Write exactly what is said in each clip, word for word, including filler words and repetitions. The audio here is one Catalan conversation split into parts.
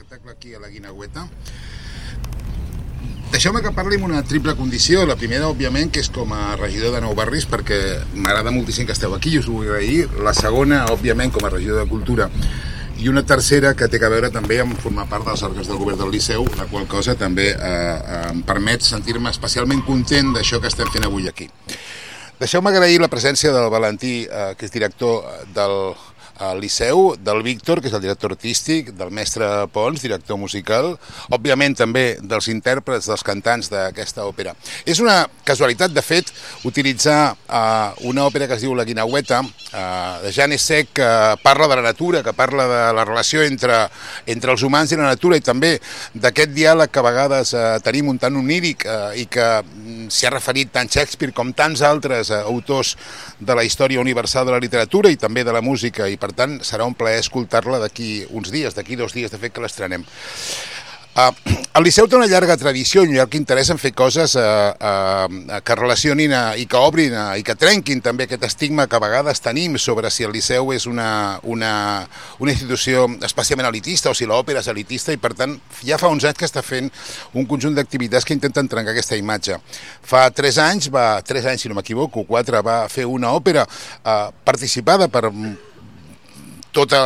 espectacle aquí a la Guineueta. Deixeu-me que parli amb una triple condició. La primera, òbviament, que és com a regidor de Nou Barris, perquè m'agrada moltíssim que esteu aquí i us ho vull agrair. La segona, òbviament, com a regidor de Cultura. I una tercera que té a veure també amb formar part dels òrgans del govern del Liceu, la qual cosa també eh, eh, em permet sentir-me especialment content d'això que estem fent avui aquí. Deixeu-me agrair la presència del Valentí, eh, que és director del al Liceu, del Víctor, que és el director artístic, del mestre Pons, director musical, òbviament també dels intèrprets, dels cantants d'aquesta òpera. És una casualitat, de fet, utilitzar uh, una òpera que es diu La Guineueta, uh, de Jan Essec, que parla de la natura, que parla de la relació entre, entre els humans i la natura, i també d'aquest diàleg que a vegades uh, tenim un tant oníric uh, i que um, s'hi ha referit tant Shakespeare com tants altres uh, autors de la història universal de la literatura i també de la música, i per tant serà un plaer escoltar-la d'aquí uns dies, d'aquí dos dies de fet que l'estrenem. Uh, el Liceu té una llarga tradició i un llarg interès en fer coses uh, uh, que relacionin uh, i que obrin uh, i que trenquin també aquest estigma que a vegades tenim sobre si el Liceu és una, una, una institució especialment elitista o si l'òpera és elitista, i per tant ja fa uns anys que està fent un conjunt d'activitats que intenten trencar aquesta imatge. Fa tres anys, va, tres anys si no m'equivoco, quatre, va fer una òpera uh, participada per totes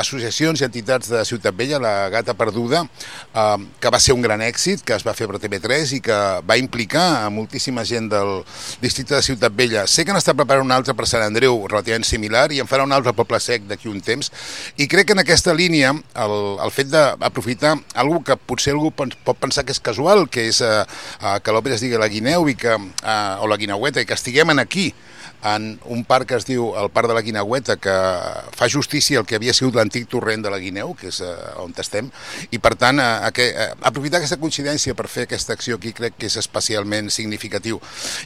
associacions i entitats de Ciutat Vella, la Gata Perduda, eh, que va ser un gran èxit, que es va fer per T V tres i que va implicar a moltíssima gent del districte de Ciutat Vella. Sé que n'està preparant un altre per Sant Andreu relativament similar i en farà un altre Poble Sec d'aquí un temps, i crec que en aquesta línia el, el fet d'aprofitar alguna que potser algú pot pensar que és casual, que és eh, que l'òpera es digui La Guineu i que, eh, o La Guineueta, i que estiguem aquí en un parc que es diu el Parc de la Guineueta, que fa justícia al que havia sigut l'antic torrent de la Guineu, que és uh, on estem, i per tant uh, que, uh, aprofitar aquesta coincidència per fer aquesta acció aquí crec que és especialment significatiu.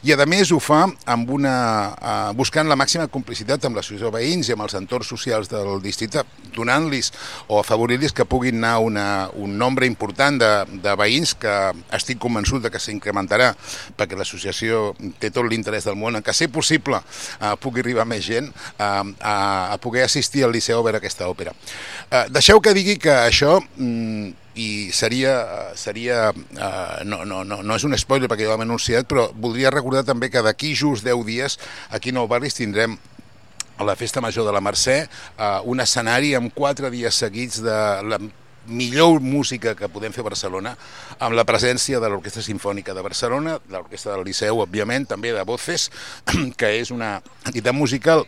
I a més ho fa amb una, uh, buscant la màxima complicitat amb l'associació de veïns i amb els entorns socials del districte, donant-los o afavorir-los que puguin anar una, un nombre important de, de veïns, que estic convençut de que s'incrementarà, perquè l'associació té tot l'interès del món en que, si possible, Uh, pugui arribar més gent uh, a, a poder assistir al Liceu a veure aquesta òpera. Uh, deixeu que digui que això, mm, i seria, seria uh, no, no, no, no és un spoiler perquè ja ho hem anunciat, però voldria recordar també que d'aquí just deu dies aquí a Nou Barris tindrem a la Festa Major de la Mercè uh, un escenari amb quatre dies seguits de la millor música que podem fer a Barcelona, amb la presència de l'Orquestra Simfònica de Barcelona, de l'Orquestra del Liceu, òbviament, també de Voces, que és una entitat musical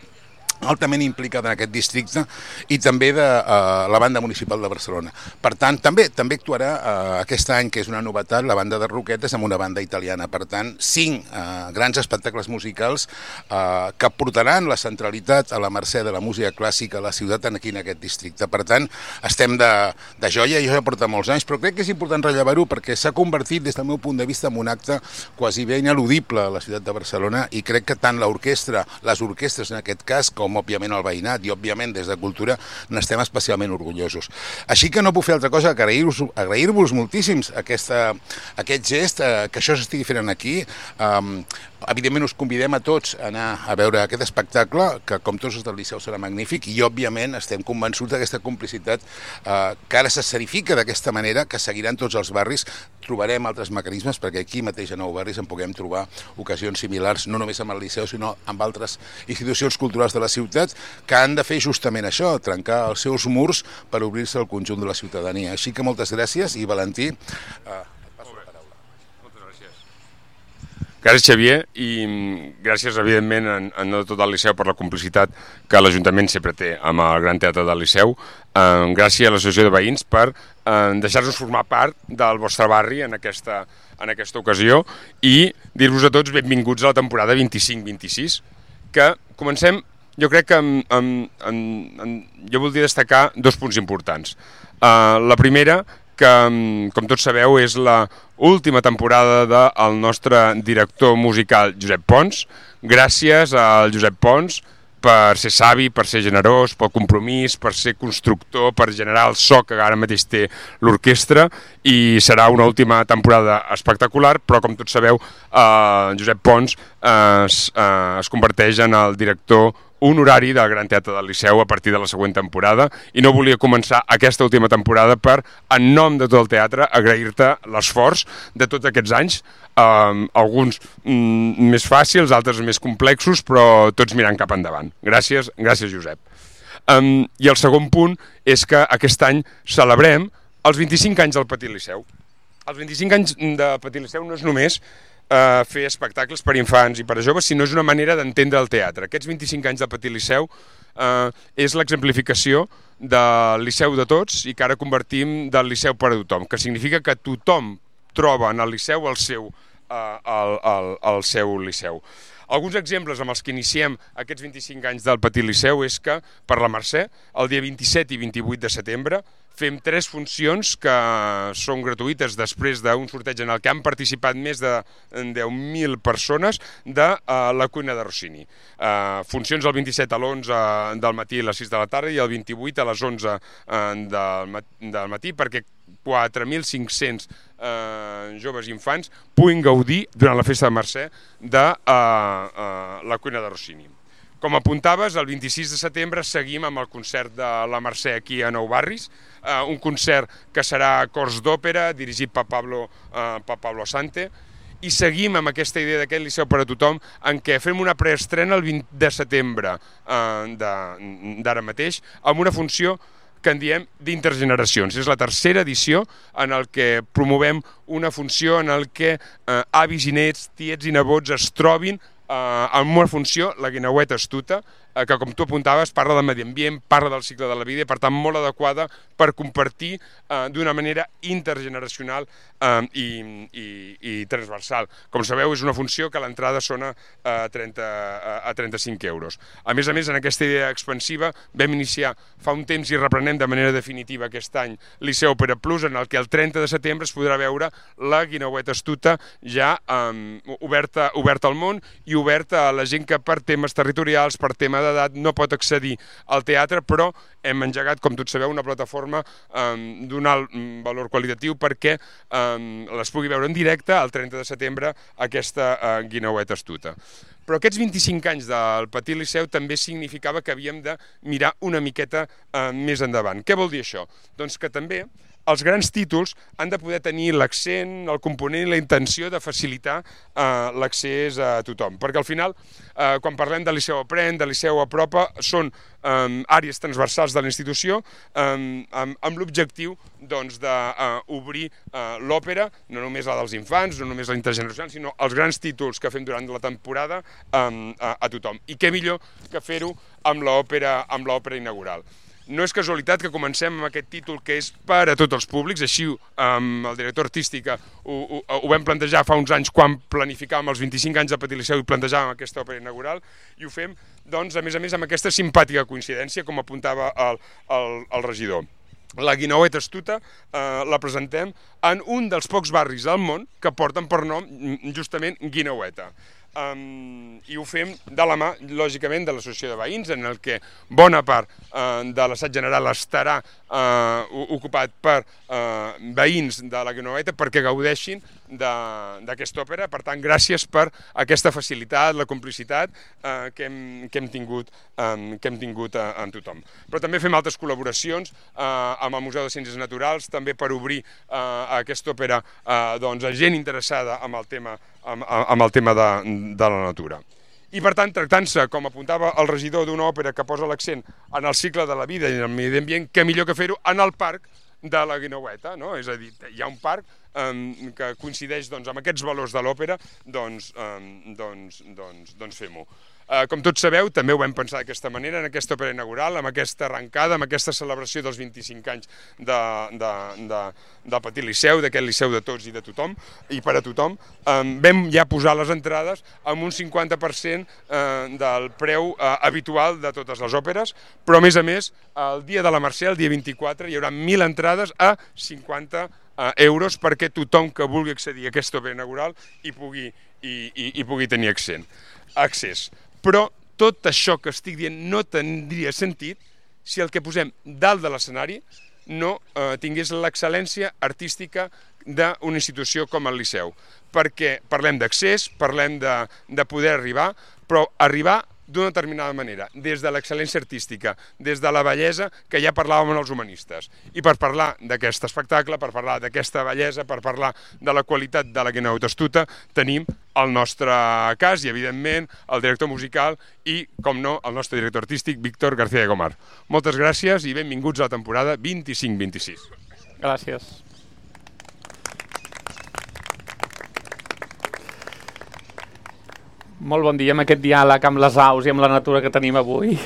altament implicada en aquest districte, i també de uh, la Banda Municipal de Barcelona. Per tant, també també actuarà uh, aquest any, que és una novetat, la Banda de Roquetes amb una banda italiana. Per tant, cinc uh, grans espectacles musicals uh, que portaran la centralitat a la mercè de la música clàssica a la ciutat aquí en aquest districte. Per tant, estem de, de joia, i jo ja porta molts anys, però crec que és important rellevar-ho perquè s'ha convertit, des del meu punt de vista, en un acte quasi bé ineludible a la ciutat de Barcelona, i crec que tant l'orquestra, les orquestres en aquest cas, com com òbviament el veïnat i òbviament des de Cultura n'estem especialment orgullosos. Així que no puc fer altra cosa que agrair-vos agrair-vos moltíssims aquesta, aquest gest, eh, que això s'estigui fent aquí. Um, evidentment us convidem a tots a anar a veure aquest espectacle, que com tots els del Liceu serà magnífic, i òbviament estem convençuts d'aquesta complicitat eh, que ara s'escerifica d'aquesta manera, que seguiran tots els barris. Trobarem altres mecanismes perquè aquí mateix a Nou Barris en puguem trobar ocasions similars, no només amb el Liceu, sinó amb altres institucions culturals de la ciutat, que han de fer justament això, trencar els seus murs per obrir-se al conjunt de la ciutadania. Així que moltes gràcies, i Valentí, eh, et passo la paraula. Moltes gràcies. Gràcies, Xavier, i gràcies, evidentment, en, en nom de tot el Liceu per la complicitat que l'Ajuntament sempre té amb el Gran Teatre del Liceu. Eh, gràcies a l'Associació de Veïns per eh, deixar-nos formar part del vostre barri en aquesta, en aquesta ocasió, i dir-vos a tots benvinguts a la temporada vint-i-cinc vint-i-sis, que comencem, jo crec que en, en, en, en, jo voldria destacar dos punts importants. Uh, la primera, que, com tots sabeu, és la última temporada del nostre director musical Josep Pons. Gràcies al Josep Pons per ser savi, per ser generós, pel compromís, per ser constructor, per generar el so que ara mateix té l'orquestra, i serà una última temporada espectacular, però com tots sabeu, eh, Josep Pons eh, es, eh, es converteix en el director un horari del Gran Teatre del Liceu a partir de la següent temporada, i no volia començar aquesta última temporada per, en nom de tot el teatre, agrair-te l'esforç de tots aquests anys, um, alguns mm, més fàcils, altres més complexos, però tots mirant cap endavant. Gràcies, gràcies Josep. Um, I el segon punt és que aquest any celebrem els vint-i-cinc anys del Petit Liceu. Els vint-i-cinc anys de Petit Liceu no és només Uh, fer espectacles per infants i per a joves, sinó és una manera d'entendre el teatre. Aquests vint-i-cinc anys del Petit Liceu uh, és l'exemplificació del Liceu de tots i que ara convertim del Liceu per a tothom, que significa que tothom troba en el Liceu el seu, uh, el, el, el seu Liceu. Alguns exemples amb els que iniciem aquests vint-i-cinc anys del Petit Liceu és que per la Mercè, el dia vint-i-set i vint-i-vuit de setembre, fem tres funcions que són gratuïtes després d'un sorteig en el que han participat més de deu mil persones de uh, la cuina de Rossini. Uh, funcions el vint-i-set a l'onze del matí a les sis de la tarda i el vint-i-vuit a les onze uh, del, mat del matí perquè quatre mil cinc-cents uh, joves i infants puguin gaudir durant la festa de Mercè de uh, uh, la cuina de Rossini. Com apuntaves, el vint-i-sis de setembre seguim amb el concert de la Mercè aquí a Nou Barris, eh, un concert que serà cors d'òpera, dirigit per Pablo, eh, per Pablo Asante, i seguim amb aquesta idea d'aquest Liceu per a tothom, en què fem una preestrena el vint de setembre eh, d'ara mateix, amb una funció que en diem d'intergeneracions. És la tercera edició en el que promovem una funció en el que eh, avis i nets, tiets i nebots es trobin Uh, amb una funció, la Guineueta astuta, uh, que com tu apuntaves parla del medi ambient, parla del cicle de la vida i per tant molt adequada per compartir uh, d'una manera intergeneracional uh, i, i, i transversal. Com sabeu, és una funció que l'entrada sona uh, trenta, uh, a trenta-cinc euros. A més a més, en aquesta idea expansiva vam iniciar fa un temps i reprenem de manera definitiva aquest any Liceu Opera Plus, en el que el trenta de setembre es podrà veure la Guineueta astuta ja um, oberta, oberta al món i oberta a la gent que per temes territorials, per tema d'edat, no pot accedir al teatre, però hem engegat, com tots sabeu, una plataforma um, d'un alt valor qualitatiu perquè um, les pugui veure en directe el trenta de setembre aquesta uh, Guineueta astuta. Però aquests vint-i-cinc anys del Petit Liceu també significava que havíem de mirar una miqueta uh, més endavant. Què vol dir això? Doncs que també els grans títols han de poder tenir l'accent, el component i la intenció de facilitar eh, l'accés a tothom. Perquè al final, eh, quan parlem de Liceu Aprèn, de Liceu Apropa, són eh, àrees transversals de la institució eh, amb, amb l'objectiu doncs, d'obrir eh, l'òpera, no només la dels infants, no només la intergeneracional, sinó els grans títols que fem durant la temporada eh, a, a tothom. I què millor que fer-ho amb l'òpera amb l'òpera inaugural. No és casualitat que comencem amb aquest títol que és per a tots els públics, així amb el director artístic ho, ho, ho vam plantejar fa uns anys quan planificàvem els vint-i-cinc anys de Petit Liceu i plantejàvem aquesta òpera inaugural, i ho fem, doncs, a més a més, amb aquesta simpàtica coincidència, com apuntava el, el, el regidor. La Guineueta astuta eh, la presentem en un dels pocs barris del món que porten per nom justament Guineueta. Um, i ho fem de la mà, lògicament, de l'associació de veïns, en el que bona part uh, de l'assaig general estarà uh, ocupat per uh, veïns de la Guineueta perquè gaudeixin d'aquesta òpera. Per tant, gràcies per aquesta facilitat, la complicitat uh, que, hem, que hem tingut, um, que hem tingut uh, amb tothom. Però també fem altres col·laboracions uh, amb el Museu de Ciències Naturals, també per obrir uh, aquesta òpera uh, doncs, a gent interessada amb el tema, amb, amb el tema de, de la natura. I per tant, tractant-se, com apuntava el regidor, d'una òpera que posa l'accent en el cicle de la vida i en el medi ambient, què millor que fer-ho en el parc de la Guineueta, no? És a dir, hi ha un parc um, que coincideix doncs, amb aquests valors de l'òpera, doncs, um, doncs, doncs, doncs fem-ho. Uh, com tots sabeu, també ho vam pensar d'aquesta manera, en aquesta òpera inaugural, amb aquesta arrencada, amb aquesta celebració dels vint-i-cinc anys de, de, de, del Petit Liceu, d'aquest Liceu de tots i de tothom, i per a tothom. Um, vam ja posar les entrades amb un cinquanta per cent uh, del preu uh, habitual de totes les òperes, però a més a més, el dia de la Mercè, el dia vint-i-quatre, hi haurà mil entrades a cinquanta uh, euros perquè tothom que vulgui accedir a aquesta òpera inaugural hi pugui, hi, hi, hi pugui tenir accent, accés. Però tot això que estic dient no tindria sentit si el que posem dalt de l'escenari no eh, tingués l'excel·lència artística d'una institució com el Liceu. Perquè parlem d'accés, parlem de, de poder arribar, però arribar d'una determinada manera, des de l'excel·lència artística, des de la bellesa que ja parlàvem amb els humanistes. I per parlar d'aquest espectacle, per parlar d'aquesta bellesa, per parlar de la qualitat de la Guineu d'Astuta, tenim el nostre cas i, evidentment, el director musical i, com no, el nostre director artístic, Víctor García de Gomar. Moltes gràcies i benvinguts a la temporada vint-i-cinc vint-i-sis. Gràcies. Molt bon dia amb aquest diàleg amb les aus i amb la natura que tenim avui.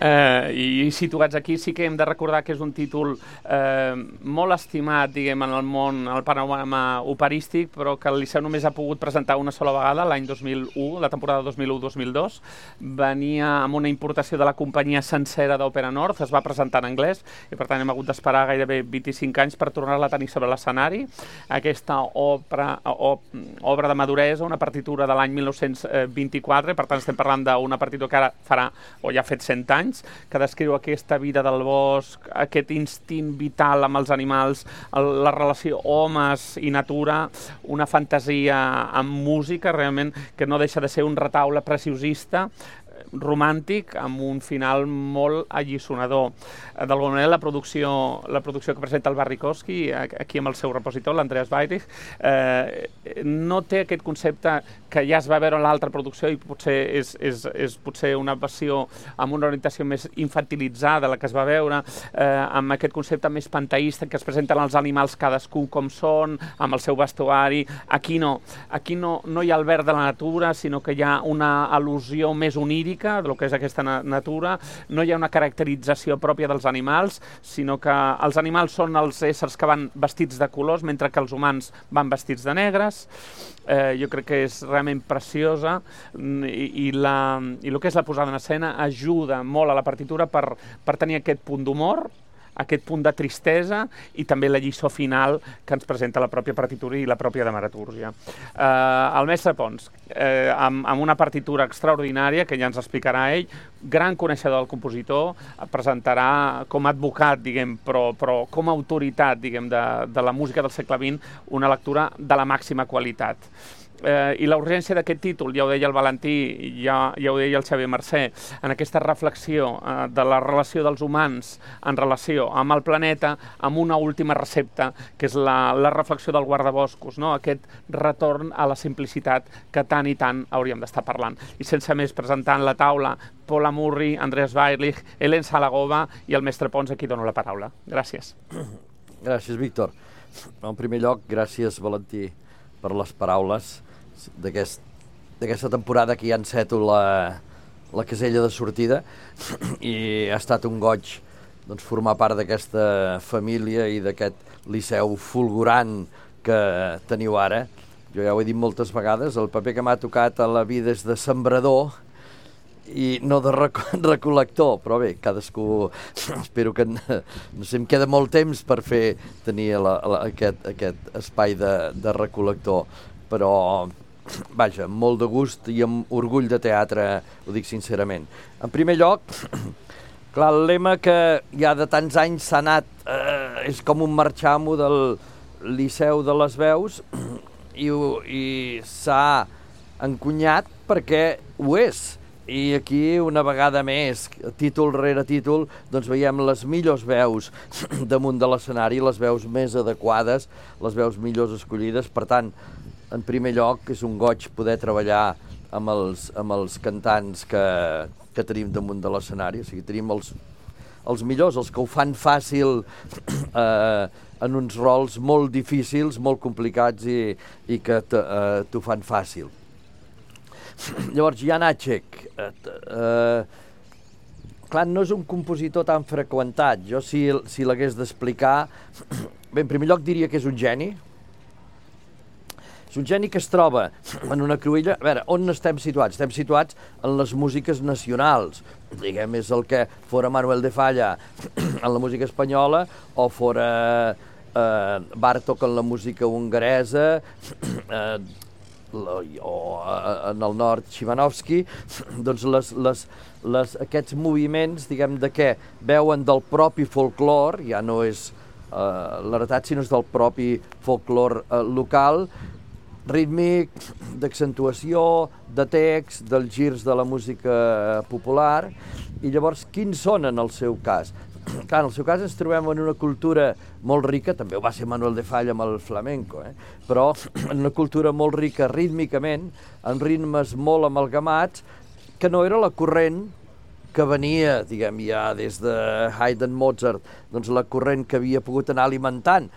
Eh, I situats aquí sí que hem de recordar que és un títol eh, molt estimat, diguem, en el món, en el panorama operístic, però que el Liceu només ha pogut presentar una sola vegada, l'any dos mil u, la temporada dos mil u dos mil dos. Venia amb una importació de la companyia sencera d'Òpera Nord, es va presentar en anglès, i per tant hem hagut d'esperar gairebé vint-i-cinc anys per tornar-la a tenir sobre l'escenari. Aquesta obra, obra de maduresa, una partitura de l'any mil nou-cents vint-i-quatre, per tant estem parlant d'una partitura que ara farà, o ja ha fet cent anys, que descriu aquesta vida del bosc, aquest instint vital amb els animals, la relació homes i natura, una fantasia amb música, realment, que no deixa de ser un retaule preciosista, romàntic, amb un final molt alliçonador. D'alguna manera, la producció, la producció que presenta el Barrikowski, aquí amb el seu repositor, l'Andreas Weyrich, eh, no té aquest concepte que ja es va veure en l'altra producció i potser és, és, és potser una versió amb una orientació més infantilitzada, la que es va veure, eh, amb aquest concepte més panteísta que es presenten els animals cadascun com són, amb el seu vestuari. Aquí no. Aquí no, no hi ha el verd de la natura, sinó que hi ha una al·lusió més onírica del que és aquesta natura, no hi ha una caracterització pròpia dels animals, sinó que els animals són els éssers que van vestits de colors, mentre que els humans van vestits de negres. Eh, jo crec que és realment preciosa i, i, la, i el que és la posada en escena ajuda molt a la partitura per, per tenir aquest punt d'humor, aquest punt de tristesa i també la lliçó final que ens presenta la pròpia partitura i la pròpia dramatúrgia. Eh, el mestre Pons, eh, amb, amb una partitura extraordinària, que ja ens explicarà ell, gran coneixedor del compositor, presentarà com a advocat, diguem, però, però com a autoritat, diguem, de, de la música del segle vint, una lectura de la màxima qualitat. Eh, I la urgència d'aquest títol, ja ho deia el Valentí, ja, ja ho deia el Xavier Mercè, en aquesta reflexió eh, de la relació dels humans en relació amb el planeta, amb una última recepta, que és la, la reflexió del guardaboscos, no? Aquest retorn a la simplicitat que tant i tant hauríem d'estar parlant. I sense més, presentant la taula, Paul Amurri, Andreas Weyrich, Helen Salagova i el mestre Pons, a qui dono la paraula. Gràcies. Gràcies, Víctor. En primer lloc, gràcies, Valentí, per les paraules d'aquesta aquest, temporada que ja enceto la, la casella de sortida i ha estat un goig doncs, formar part d'aquesta família i d'aquest liceu fulgurant que teniu ara. Jo ja ho he dit moltes vegades, el paper que m'ha tocat a la vida és de sembrador i no de rec recol·lector, però bé, cadascú, espero que no sé, em queda molt temps per fer tenir la, la, aquest, aquest espai de, de recol·lector, però vaja, molt de gust i amb orgull de teatre, ho dic sincerament. En primer lloc, clar, el lema que ja de tants anys s'ha anat, eh, és com un marxamo del Liceu de les Veus i, i s'ha encunyat perquè ho és. I aquí, una vegada més, títol rere títol, doncs veiem les millors veus damunt de l'escenari, les veus més adequades, les veus millors escollides. Per tant, en primer lloc, és un goig poder treballar amb els, amb els cantants que, que tenim damunt de l'escenari. O sigui, tenim els, els millors, els que ho fan fàcil eh, en uns rols molt difícils, molt complicats i, i que t'ho eh, fan fàcil. Llavors, Jan Acek, eh, eh, clar, no és un compositor tan freqüentat. Jo, si, si l'hagués d'explicar, bé, en primer lloc diria que és un geni. És un geni que es troba en una cruïlla. A veure, on estem situats? Estem situats en les músiques nacionals. Diguem, és el que fora Manuel de Falla en la música espanyola o fora eh, Bartók en la música hongaresa, eh, o en el nord Szymanowski, doncs les, les, les, aquests moviments, diguem, de què veuen del propi folklore, ja no és eh, l'heretat, sinó és del propi folklore eh, local, rítmic, d'accentuació, de text, dels girs de la música popular, i llavors quins són en el seu cas? Clar, en el seu cas ens trobem en una cultura molt rica, també ho va ser Manuel de Falla amb el flamenco, eh? però en una cultura molt rica rítmicament, amb ritmes molt amalgamats, que no era la corrent que venia, diguem, ja des de Haydn, Mozart, doncs la corrent que havia pogut anar alimentant,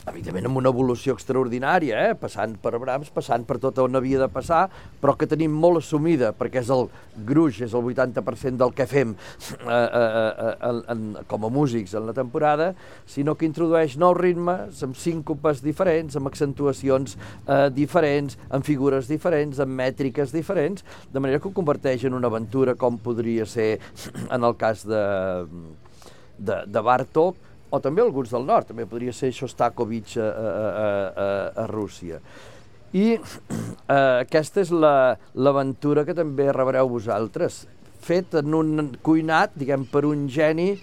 evidentment amb una evolució extraordinària, eh? passant per Brahms, passant per tot on havia de passar, però que tenim molt assumida, perquè és el gruix, és el vuitanta per cent del que fem eh, eh, eh, en, com a músics en la temporada, sinó que introdueix nous ritmes, amb síncopes diferents, amb accentuacions eh, diferents, amb figures diferents, amb mètriques diferents, de manera que ho converteix en una aventura com podria ser en el cas de, de, de Bartók, o també alguns del nord, també podria ser Shostakovich a, a, a, a, a Rússia. I eh, aquesta és l'aventura la, que també rebreu vosaltres, fet en un cuinat, diguem, per un geni,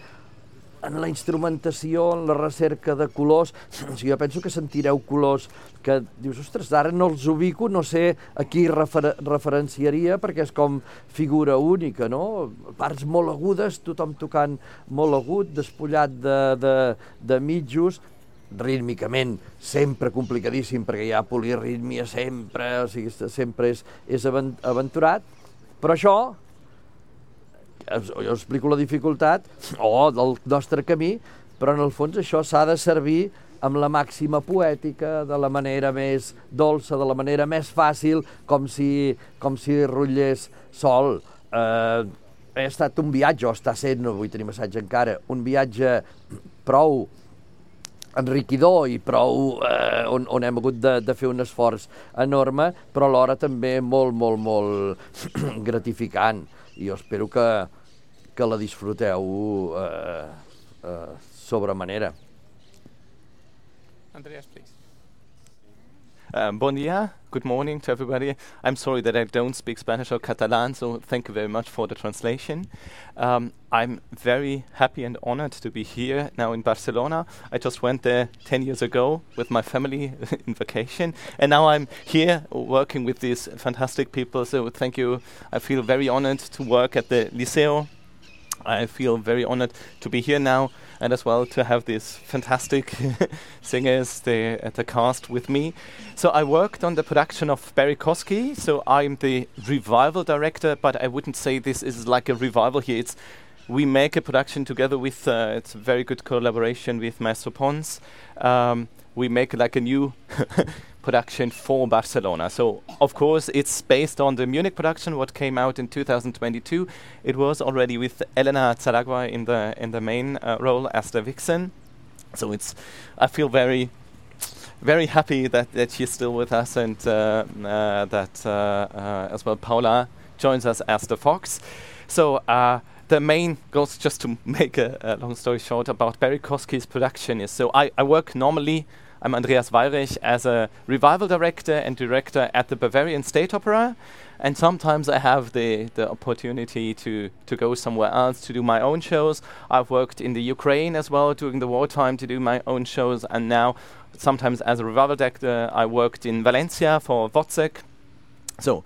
en la instrumentació, en la recerca de colors. O sigui, jo penso que sentireu colors que dius, ostres, ara no els ubico, no sé a qui refer referenciaria, perquè és com figura única, no? Parts molt agudes, tothom tocant molt agut, despullat de, de, de mitjos, rítmicament sempre complicadíssim, perquè hi ha polirítmia sempre, o sigui, sempre és, és aventurat, però això, jo explico la dificultat, o del nostre camí, però en el fons això s'ha de servir amb la màxima poètica, de la manera més dolça, de la manera més fàcil, com si, com si rotllés sol. Eh, ha estat un viatge, o està sent, no vull tenir massatge encara, un viatge prou enriquidor i prou eh, on, on hem hagut de, de fer un esforç enorme, però alhora també molt, molt, molt gratificant. I jo espero que, que la disfruteu eh, eh, sobremanera. Andreas, please. Um, bon dia, good morning to everybody. I'm sorry that I don't speak Spanish or Catalan, so thank you very much for the translation. Um, I'm very happy and honored to be here now in Barcelona. I just went there ten years ago with my family in vacation, and now I'm here working with these fantastic people, so thank you. I feel very honored to work at the Liceo. I feel very honored to be here now, and as well to have these fantastic singers, the, uh, the cast with me. So I worked on the production of Barry Kosky, so I'm the revival director, but I wouldn't say this is like a revival here. It's we make a production together with, uh, it's a very good collaboration with Maestro Pons. Um, we make like a new production for Barcelona. So, of course, it's based on the Munich production, what came out in two thousand twenty-two. It was already with Elena Zaragua in the in the main uh, role as the vixen. So it's, I feel very, very happy that, that she's still with us, and uh, uh, that uh, uh, as well Paula joins us as the fox. So uh, the main goes, just to make a, a long story short, about Barry Kosky's production is, so I, I work normally, I'm Andreas Weyrich, as a revival director and director at the Bavarian State Opera, and sometimes I have the, the opportunity to, to go somewhere else to do my own shows. I've worked in the Ukraine as well during the wartime to do my own shows, and now sometimes as a revival director I worked in Valencia for Wozzeck. So,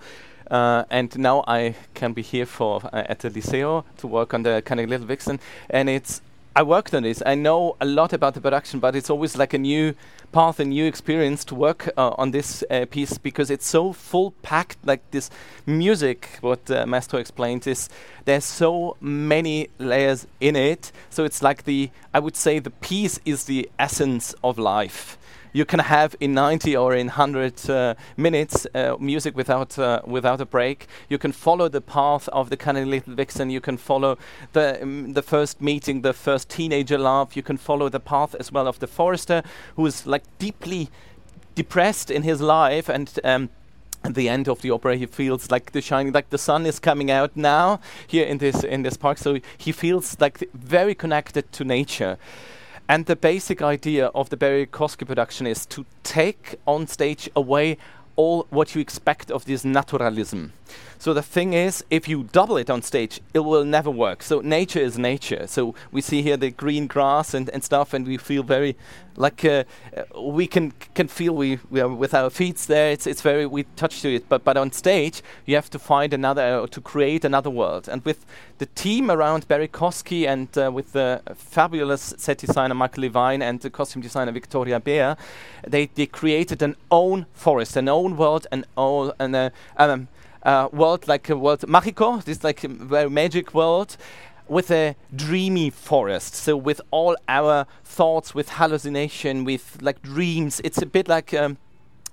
uh, and now I can be here for uh, at the Liceo to work on the kind of Little Vixen, and it's I worked on this. I know a lot about the production, but it's always like a new path, a new experience to work uh, on this uh, piece, because it's so full-packed, like this music, what uh, Maestro explained, is there's so many layers in it. So it's like the, I would say the piece is the essence of life. You can have in ninety or in one hundred uh, minutes uh, music without uh, without a break. You can follow the path of the kind of Little Vixen. You can follow the um, the first meeting, the first teenager love. You can follow the path as well of the forester, who is like deeply depressed in his life, and um, at the end of the opera he feels like the shining, like the sun is coming out now here in this in this park. So he feels like th- very connected to nature. And the basic idea of the Barry Kosky production is to take on stage away all what you expect of this naturalism. So the thing is, if you double it on stage, it will never work. So nature is nature. So we see here the green grass and, and stuff, and we feel very like uh, we can can feel we, we are with our feet there. It's it's very we touch to it, but but on stage you have to find another uh, to create another world. And with the team around Barry Kosky and uh, with the fabulous set designer Michael Levine and the costume designer Victoria Beer, they they created an own forest, an own world, an own an uh, um, uh, world like a world Magico. This like a very magic world, with a dreamy forest, so with all our thoughts, with hallucination, with like dreams. It's a bit like um,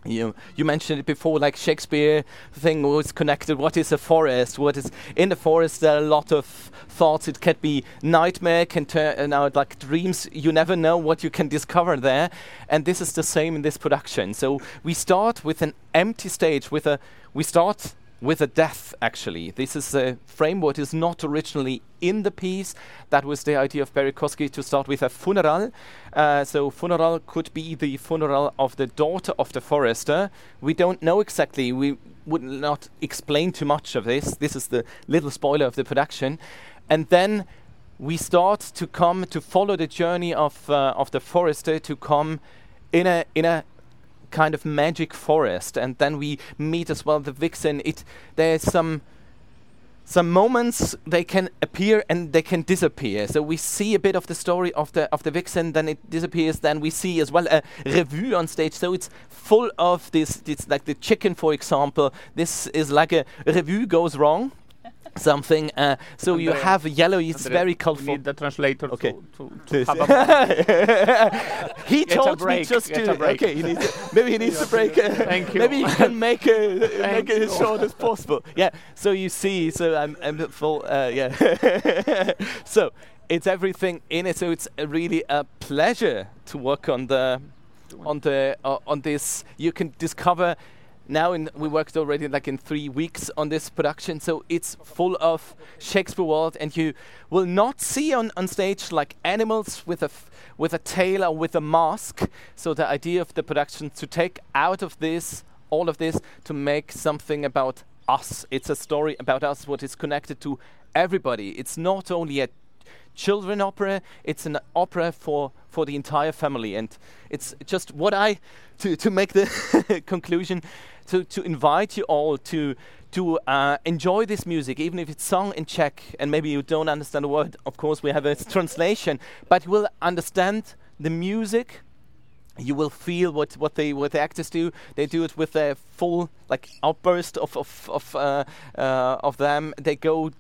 you you mentioned it before, like Shakespeare thing was connected. What is a forest? What is in the forest? There are a lot of thoughts. It can be nightmare, can turn out like dreams. You never know what you can discover there, and this is the same in this production. So we start with an empty stage. With a we start. with a death, actually. This is a framework is not originally in the piece. That was the idea of Barry Kosky, to start with a funeral. Uh, so funeral could be the funeral of the daughter of the forester. We don't know exactly. We would not explain too much of this. This is the little spoiler of the production. And then we start to come to follow the journey of uh, of the forester to come in a in a kind of magic forest, and then we meet as well the vixen. It there's some some moments they can appear and they can disappear. So we see a bit of the story of the of the vixen, then it disappears. Then we see as well a revue on stage. So it's full of this. It's like the chicken, for example. This is like a revue goes wrong. Something, uh, so Andre, you have yellow, it's Andre, very colorful. We need the translator okay. to, to, to have a He get told break, me just to, break. okay, he needs to, maybe he needs to break. Uh, Thank you. Maybe you can make, a, make it you. as short as possible. Yeah, so you see, so I'm, I'm full, uh, yeah. So it's everything in it, so it's a really a pleasure to work on the, on the, uh, on this. You can discover. Now in, we worked already like in three weeks on this production, so it's full of Shakespeare world, and you will not see on, on stage like animals with a f with a tail or with a mask. So the idea of the production to take out of this all of this to make something about us. It's a story about us, what is connected to everybody. It's not only a children opera, it's an opera for for the entire family, and it's just what I to to make the conclusion. To, to invite you all to to uh, enjoy this music, even if it's sung in Czech and maybe you don't understand a word. Of course, we have a translation, but you will understand the music. You will feel what what they what the actors do. They do it with a full like outburst of of of uh, uh, of them. They go,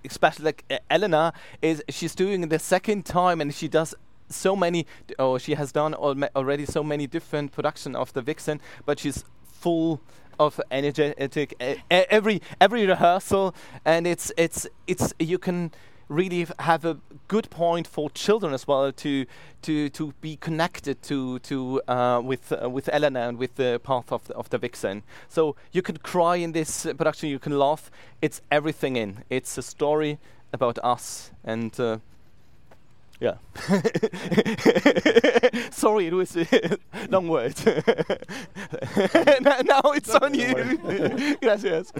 especially like uh, Elena is she's doing it the second time, and she does. So many, oh, she has done al already so many different production of the Vixen, but she's full of energetic uh, every every rehearsal, and it's it's it's you can really have a good point for children as well to to to be connected to to uh, with uh, with Elena and with the path of the, of the Vixen. So you can cry in this uh, production, you can laugh. It's everything in. It's a story about us and. Uh, Yeah. Sorry, it was a long word. Now it's on you. Gràcies.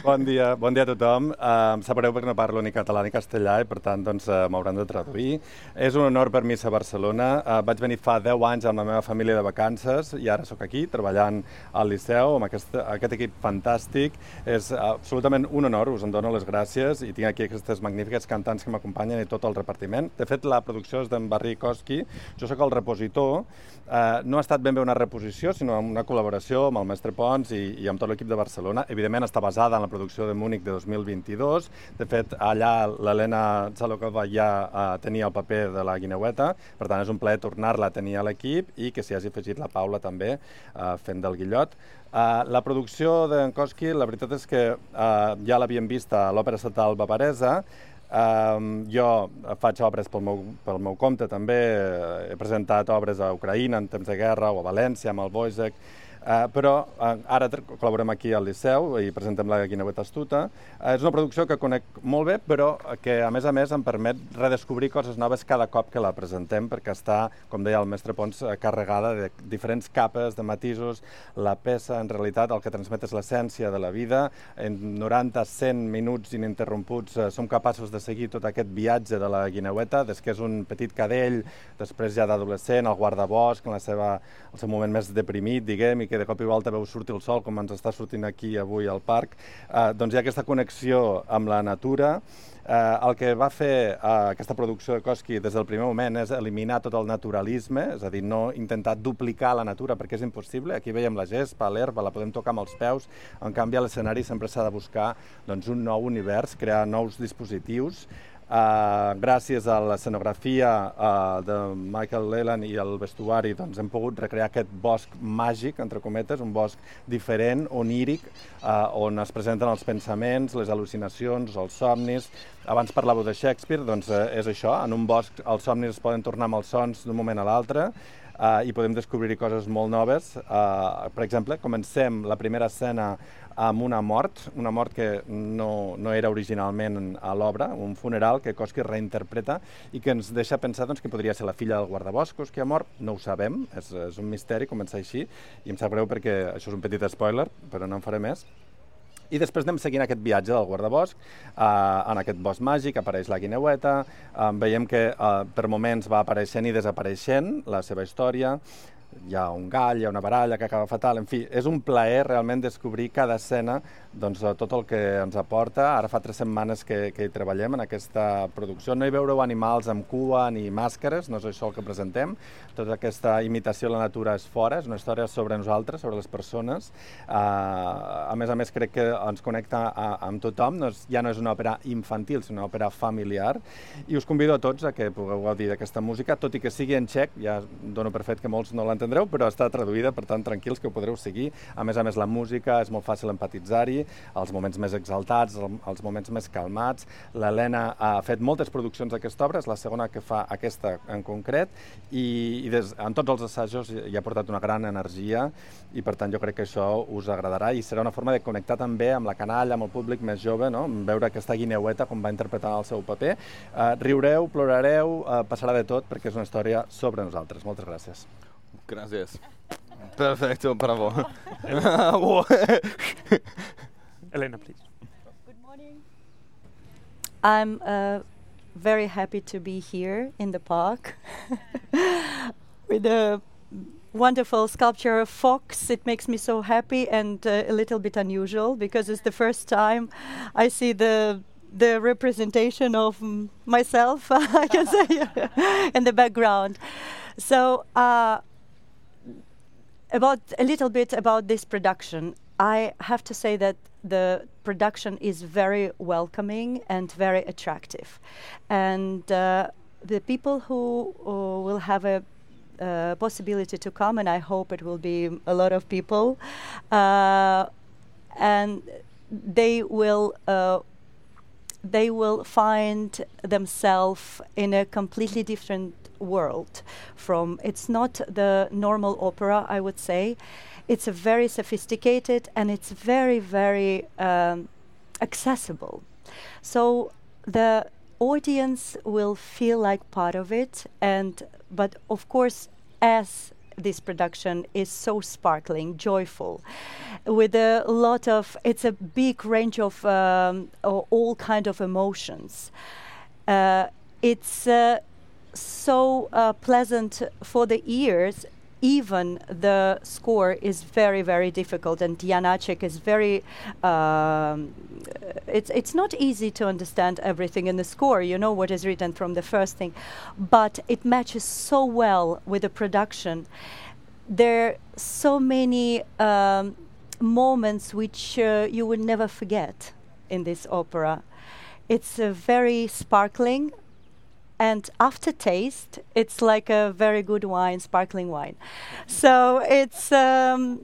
Bon dia, bon dia a tothom. Uh, em sabreu perquè no parlo ni català ni castellà i per tant doncs, uh, m'hauran de traduir. És un honor per mi ser a Barcelona. Uh, vaig venir fa deu anys amb la meva família de vacances i ara sóc aquí treballant al Liceu amb aquest, aquest equip fantàstic. És uh, absolutament un honor, us en dono les gràcies i tinc aquí aquestes magnífiques cantants que m'acompanyen i tot el repartiment. De fet, la producció és d'en Barry Kosky, jo sóc el repositor, eh, no ha estat ben bé una reposició, sinó una col·laboració amb el mestre Pons i, i amb tot l'equip de Barcelona. Evidentment està basada en la producció de Múnich de dos mil vint-i-dos, de fet allà l'Helena Zalokova ja eh, tenia el paper de la guineueta, per tant és un plaer tornar-la a tenir a l'equip i que s'hi hagi afegit la Paula també eh, fent del guillot. Uh, la producció d'en Kosky, la veritat és que uh, ja l'havíem vist a l'Òpera Estatal Bavaresa. Um, jo faig obres pel meu, pel meu compte també, he presentat obres a Ucraïna en temps de guerra o a València amb el Wojciech. Uh, però uh, ara col·laborem aquí al Liceu i presentem la Guineueta Astuta. Uh, és una producció que conec molt bé, però que a més a més em permet redescobrir coses noves cada cop que la presentem, perquè està, com deia el mestre Pons, carregada de diferents capes, de matisos. La peça, en realitat, el que transmet és l'essència de la vida. En noranta a cent minuts ininterromputs uh, som capaços de seguir tot aquest viatge de la Guineueta, des que és un petit cadell, després ja d'adolescent, el guardabosc, en la seva, el seu moment més deprimit, diguem, i que de cop i volta veu sortir el sol, com ens està sortint aquí avui al parc. Eh, doncs hi ha aquesta connexió amb la natura. Eh, el que va fer eh, aquesta producció de Koski des del primer moment és eliminar tot el naturalisme, és a dir, no intentar duplicar la natura perquè és impossible. Aquí veiem la gespa, l'herba, la podem tocar amb els peus. En canvi, a l'escenari sempre s'ha de buscar doncs, un nou univers, crear nous dispositius. Uh, gràcies a l'escenografia uh, de Michael Leland i el vestuari doncs, hem pogut recrear aquest bosc màgic, entre cometes, un bosc diferent, oníric, uh, on es presenten els pensaments, les al·lucinacions, els somnis. Abans parlàveu de Shakespeare, doncs uh, és això, en un bosc els somnis es poden tornar amb els sons d'un moment a l'altre, uh, i podem descobrir coses molt noves. Uh, per exemple, comencem la primera escena amb una mort, una mort que no, no era originalment a l'obra, un funeral que Koski reinterpreta i que ens deixa pensar doncs, que podria ser la filla del guardaboscos que ha mort. No ho sabem, és, és un misteri començar així, i em sap greu perquè això és un petit spoiler, però no en faré més. I després anem seguint aquest viatge del guardabosc, eh, en aquest bosc màgic apareix la Guineueta, eh, veiem que eh, per moments va apareixent i desapareixent la seva història. Hi ha un gall, hi ha una baralla que acaba fatal, en fi, és un plaer realment descobrir cada escena, doncs tot el que ens aporta. Ara fa tres setmanes que, que hi treballem en aquesta producció. No hi veureu animals amb cua ni màscares, no és això el que presentem. Tota aquesta imitació de la natura és fora, és una història sobre nosaltres, sobre les persones. Uh, a més a més crec que ens connecta a, amb tothom, no és, ja no és una òpera infantil, sinó una òpera familiar. I us convido a tots a que pugueu gaudir d'aquesta música, tot i que sigui en txec, ja dono per fet que molts no l'entendreu, però està traduïda, per tant, tranquils que ho podreu seguir. A més a més, la música és molt fàcil empatitzar-hi, els moments més exaltats, els moments més calmats. L'Helena ha fet moltes produccions d'aquesta obra, és la segona que fa aquesta en concret, i, i des, en tots els assajos hi ha portat una gran energia, i per tant jo crec que això us agradarà i serà una forma de connectar també amb la canalla, amb el públic més jove, no? Veure aquesta Guineueta com va interpretar el seu paper. Uh, riureu, plorareu, uh, passarà de tot, perquè és una història sobre nosaltres. Moltes gràcies. Gracias. Perfecto, bravo. Elena, please. Good morning. I'm uh, very happy to be here in the park with the wonderful sculpture of Fox. It makes me so happy and uh, a little bit unusual because it's the first time I see the the representation of m- myself, I can say, in the background. So. Uh, About a little bit about this production, I have to say that the production is very welcoming and very attractive, and uh, the people who uh, will have a uh, possibility to come, and I hope it will be a lot of people, uh, and they will uh, they will find themselves in a completely different world from. It's not the normal opera, I would say. It's a very sophisticated and it's very, very um, accessible. So the audience will feel like part of it, and but of course, as this production is so sparkling, joyful, with a lot of, it's a big range of um, all kind of emotions. Uh, it's uh, so uh, pleasant for the ears. Even the score is very, very difficult, and Janacek is very. Um, it's it's not easy to understand everything in the score. You know what is written from the first thing, but it matches so well with the production. There are so many um, moments which uh, you will never forget in this opera. It's uh, very sparkling. And aftertaste, it's like a very good wine, sparkling wine. So it's um,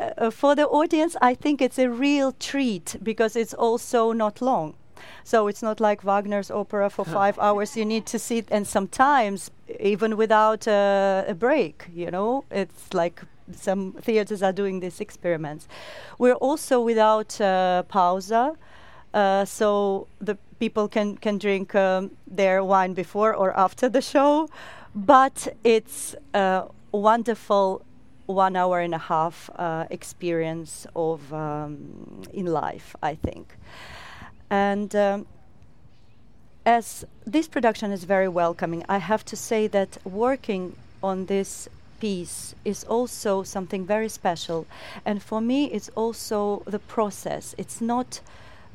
uh, for the audience, I think it's a real treat because it's also not long. So it's not like Wagner's opera for five hours. You need to sit, and sometimes even without uh, a break, you know, it's like some theaters are doing these experiments. We're also without uh, pausa, uh, so the people can, can drink um, their wine before or after the show, but it's a wonderful one hour and a half uh, experience of um, in life, I think. And um, as this production is very welcoming, I have to say that working on this piece is also something very special. And for me, it's also the process. It's not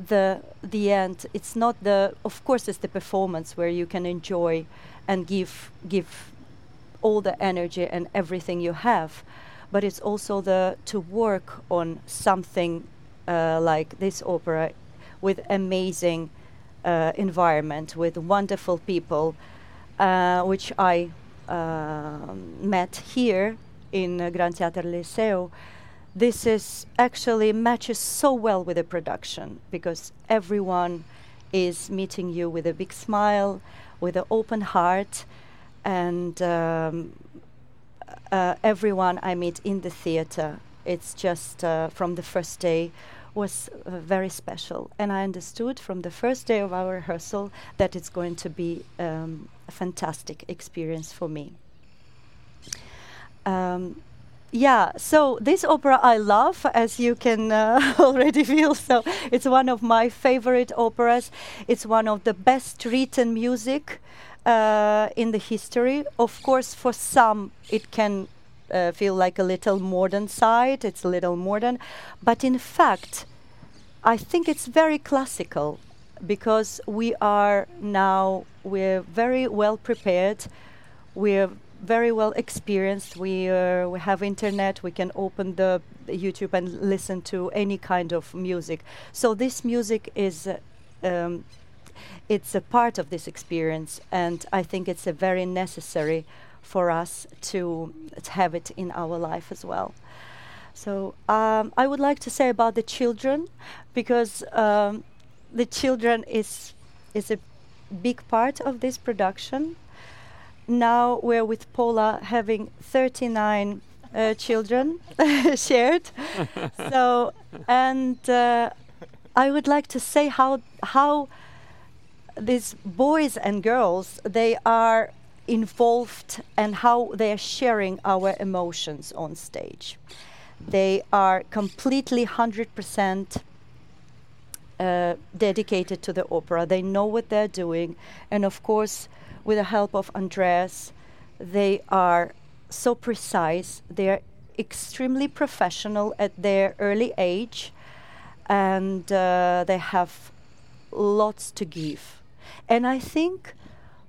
the the end. It's not the, of course, it's the performance where you can enjoy and give give all the energy and everything you have. But it's also the to work on something uh, like this opera with amazing uh, environment, with wonderful people, uh, which I uh, met here in uh, Grand Theatre Liceo. This is actually matches so well with the production because everyone is meeting you with a big smile, with an open heart, and um, uh, everyone I meet in the theatre, it's just uh, from the first day was uh, very special. And I understood from the first day of our rehearsal that it's going to be um, a fantastic experience for me. Um, Yeah, so this opera I love, as you can uh, already feel. So it's one of my favorite operas. It's one of the best written music uh, in the history. Of course, for some, it can uh, feel like a little modern side. It's a little modern. But in fact, I think it's very classical because we are now, we're very well prepared. We're very well experienced. We uh, we have internet. We can open the, the YouTube and listen to any kind of music. So this music is uh, um, it's a part of this experience, and I think it's a very necessary for us to, to have it in our life as well. So um, I would like to say about the children, because um, the children is is a big part of this production. Now we're with Paula having thirty-nine uh, children shared. So, and uh, I would like to say how how these boys and girls, they are involved and how they are sharing our emotions on stage. They are completely one hundred percent uh, dedicated to the opera. They know what they're doing, and of course, with the help of Andreas, they are so precise. They are extremely professional at their early age, and uh, they have lots to give. And I think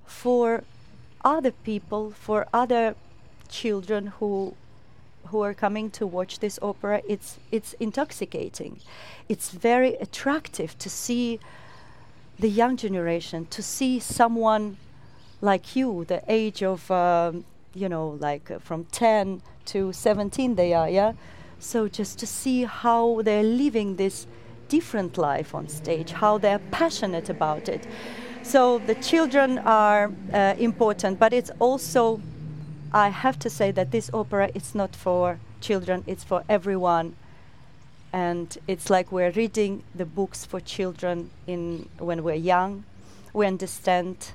for other people, for other children who who are coming to watch this opera, it's it's intoxicating. It's very attractive to see the young generation, to see someone like you, the age of, um, you know, like uh, from ten to seventeen they are, yeah? So just to see how they're living this different life on stage, how they're passionate about it. So the children are uh, important, but it's also, I have to say that this opera is not for children, it's for everyone. And it's like we're reading the books for children in when we're young. We understand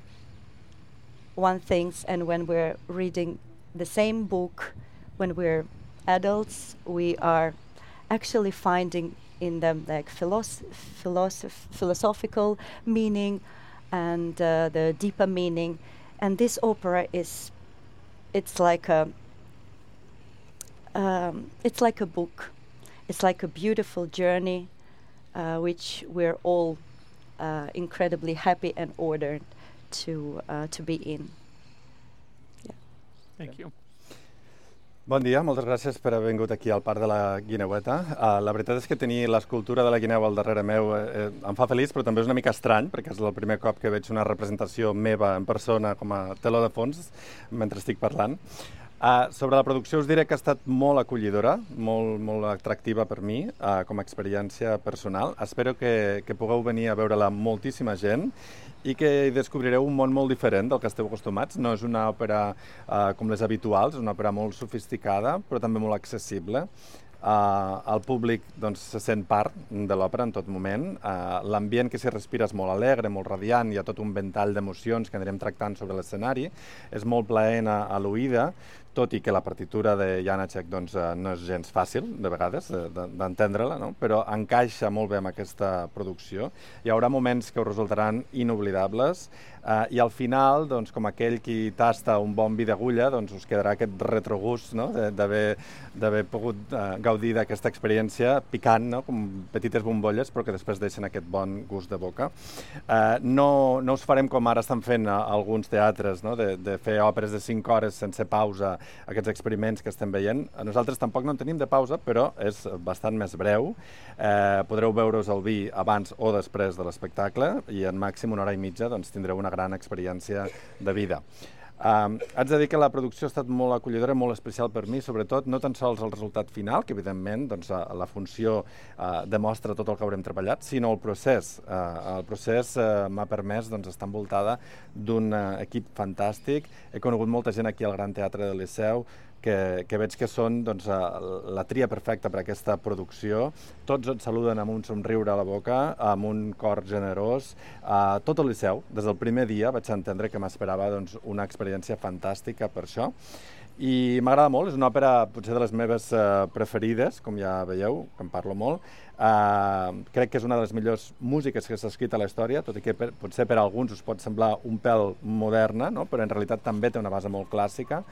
one things, and when we're reading the same book when we're adults, we are actually finding in them like philosoph- philosoph- philosophical meaning and uh, the deeper meaning. And this opera is, it's like a um, it's like a book. It's like a beautiful journey uh, which we're all uh, incredibly happy and honored to uh, to be in. Yeah. Thank you. Bon dia, moltes gràcies per haver vingut aquí al Parc de la Guineueta. Uh, la veritat és que tenir l'escultura de la guineu al darrere meu eh, em fa feliç, però també és una mica estrany, perquè és el primer cop que veig una representació meva en persona com a teló de fons mentre estic parlant. Uh, sobre la producció us diré que ha estat molt acollidora, molt, molt atractiva per mi, uh, com a experiència personal. Espero que, que pugueu venir a veure-la moltíssima gent i que hi descobrireu un món molt diferent del que esteu acostumats. No és una òpera uh, com les habituals, és una òpera molt sofisticada, però també molt accessible. Uh, el públic doncs, se sent part de l'òpera en tot moment. Uh, l'ambient que s'hi respira és molt alegre, molt radiant, hi ha tot un ventall d'emocions que anirem tractant sobre l'escenari. És molt plaent a, a l'oïda, tot i que la partitura de Janacek doncs, uh, no és gens fàcil, de vegades, d'entendre-la, no? Però encaixa molt bé amb aquesta producció. Hi haurà moments que us resultaran inoblidables uh, i al final, doncs, com aquell qui tasta un bon vi d'agulla, doncs us quedarà aquest retrogust, no? d'haver pogut uh, gaudir d'aquesta experiència picant, no? Com petites bombolles, però que després deixen aquest bon gust de boca. Uh, no, no us farem com ara estan fent a, a alguns teatres, no? de, de fer òperes de cinc hores sense pausa, aquests experiments que estem veient. Nosaltres tampoc no en tenim de pausa, però és bastant més breu. Eh, podreu veure-us el vi abans o després de l'espectacle i en màxim una hora i mitja doncs, tindreu una gran experiència de vida. Um, haig de dir que la producció ha estat molt acollidora, molt especial per mi, sobretot no tan sols el resultat final, que evidentment doncs, la funció uh, demostra tot el que haurem treballat, sinó el procés. Uh, el procés uh, m'ha permès doncs, estar envoltada d'un uh, equip fantàstic. He conegut molta gent aquí al Gran Teatre del Liceu, que, que veig que són doncs, la tria perfecta per a aquesta producció. Tots et saluden amb un somriure a la boca, amb un cor generós. Uh, tot el Liceu, des del primer dia, vaig entendre que m'esperava doncs, una experiència fantàstica per això. I m'agrada molt, és una òpera potser de les meves uh, preferides, com ja veieu, que en parlo molt. Uh, crec que és una de les millors músiques que s'ha escrit a la història, tot i que per, potser per a alguns us pot semblar un pèl moderna, no? Però en realitat també té una base molt clàssica.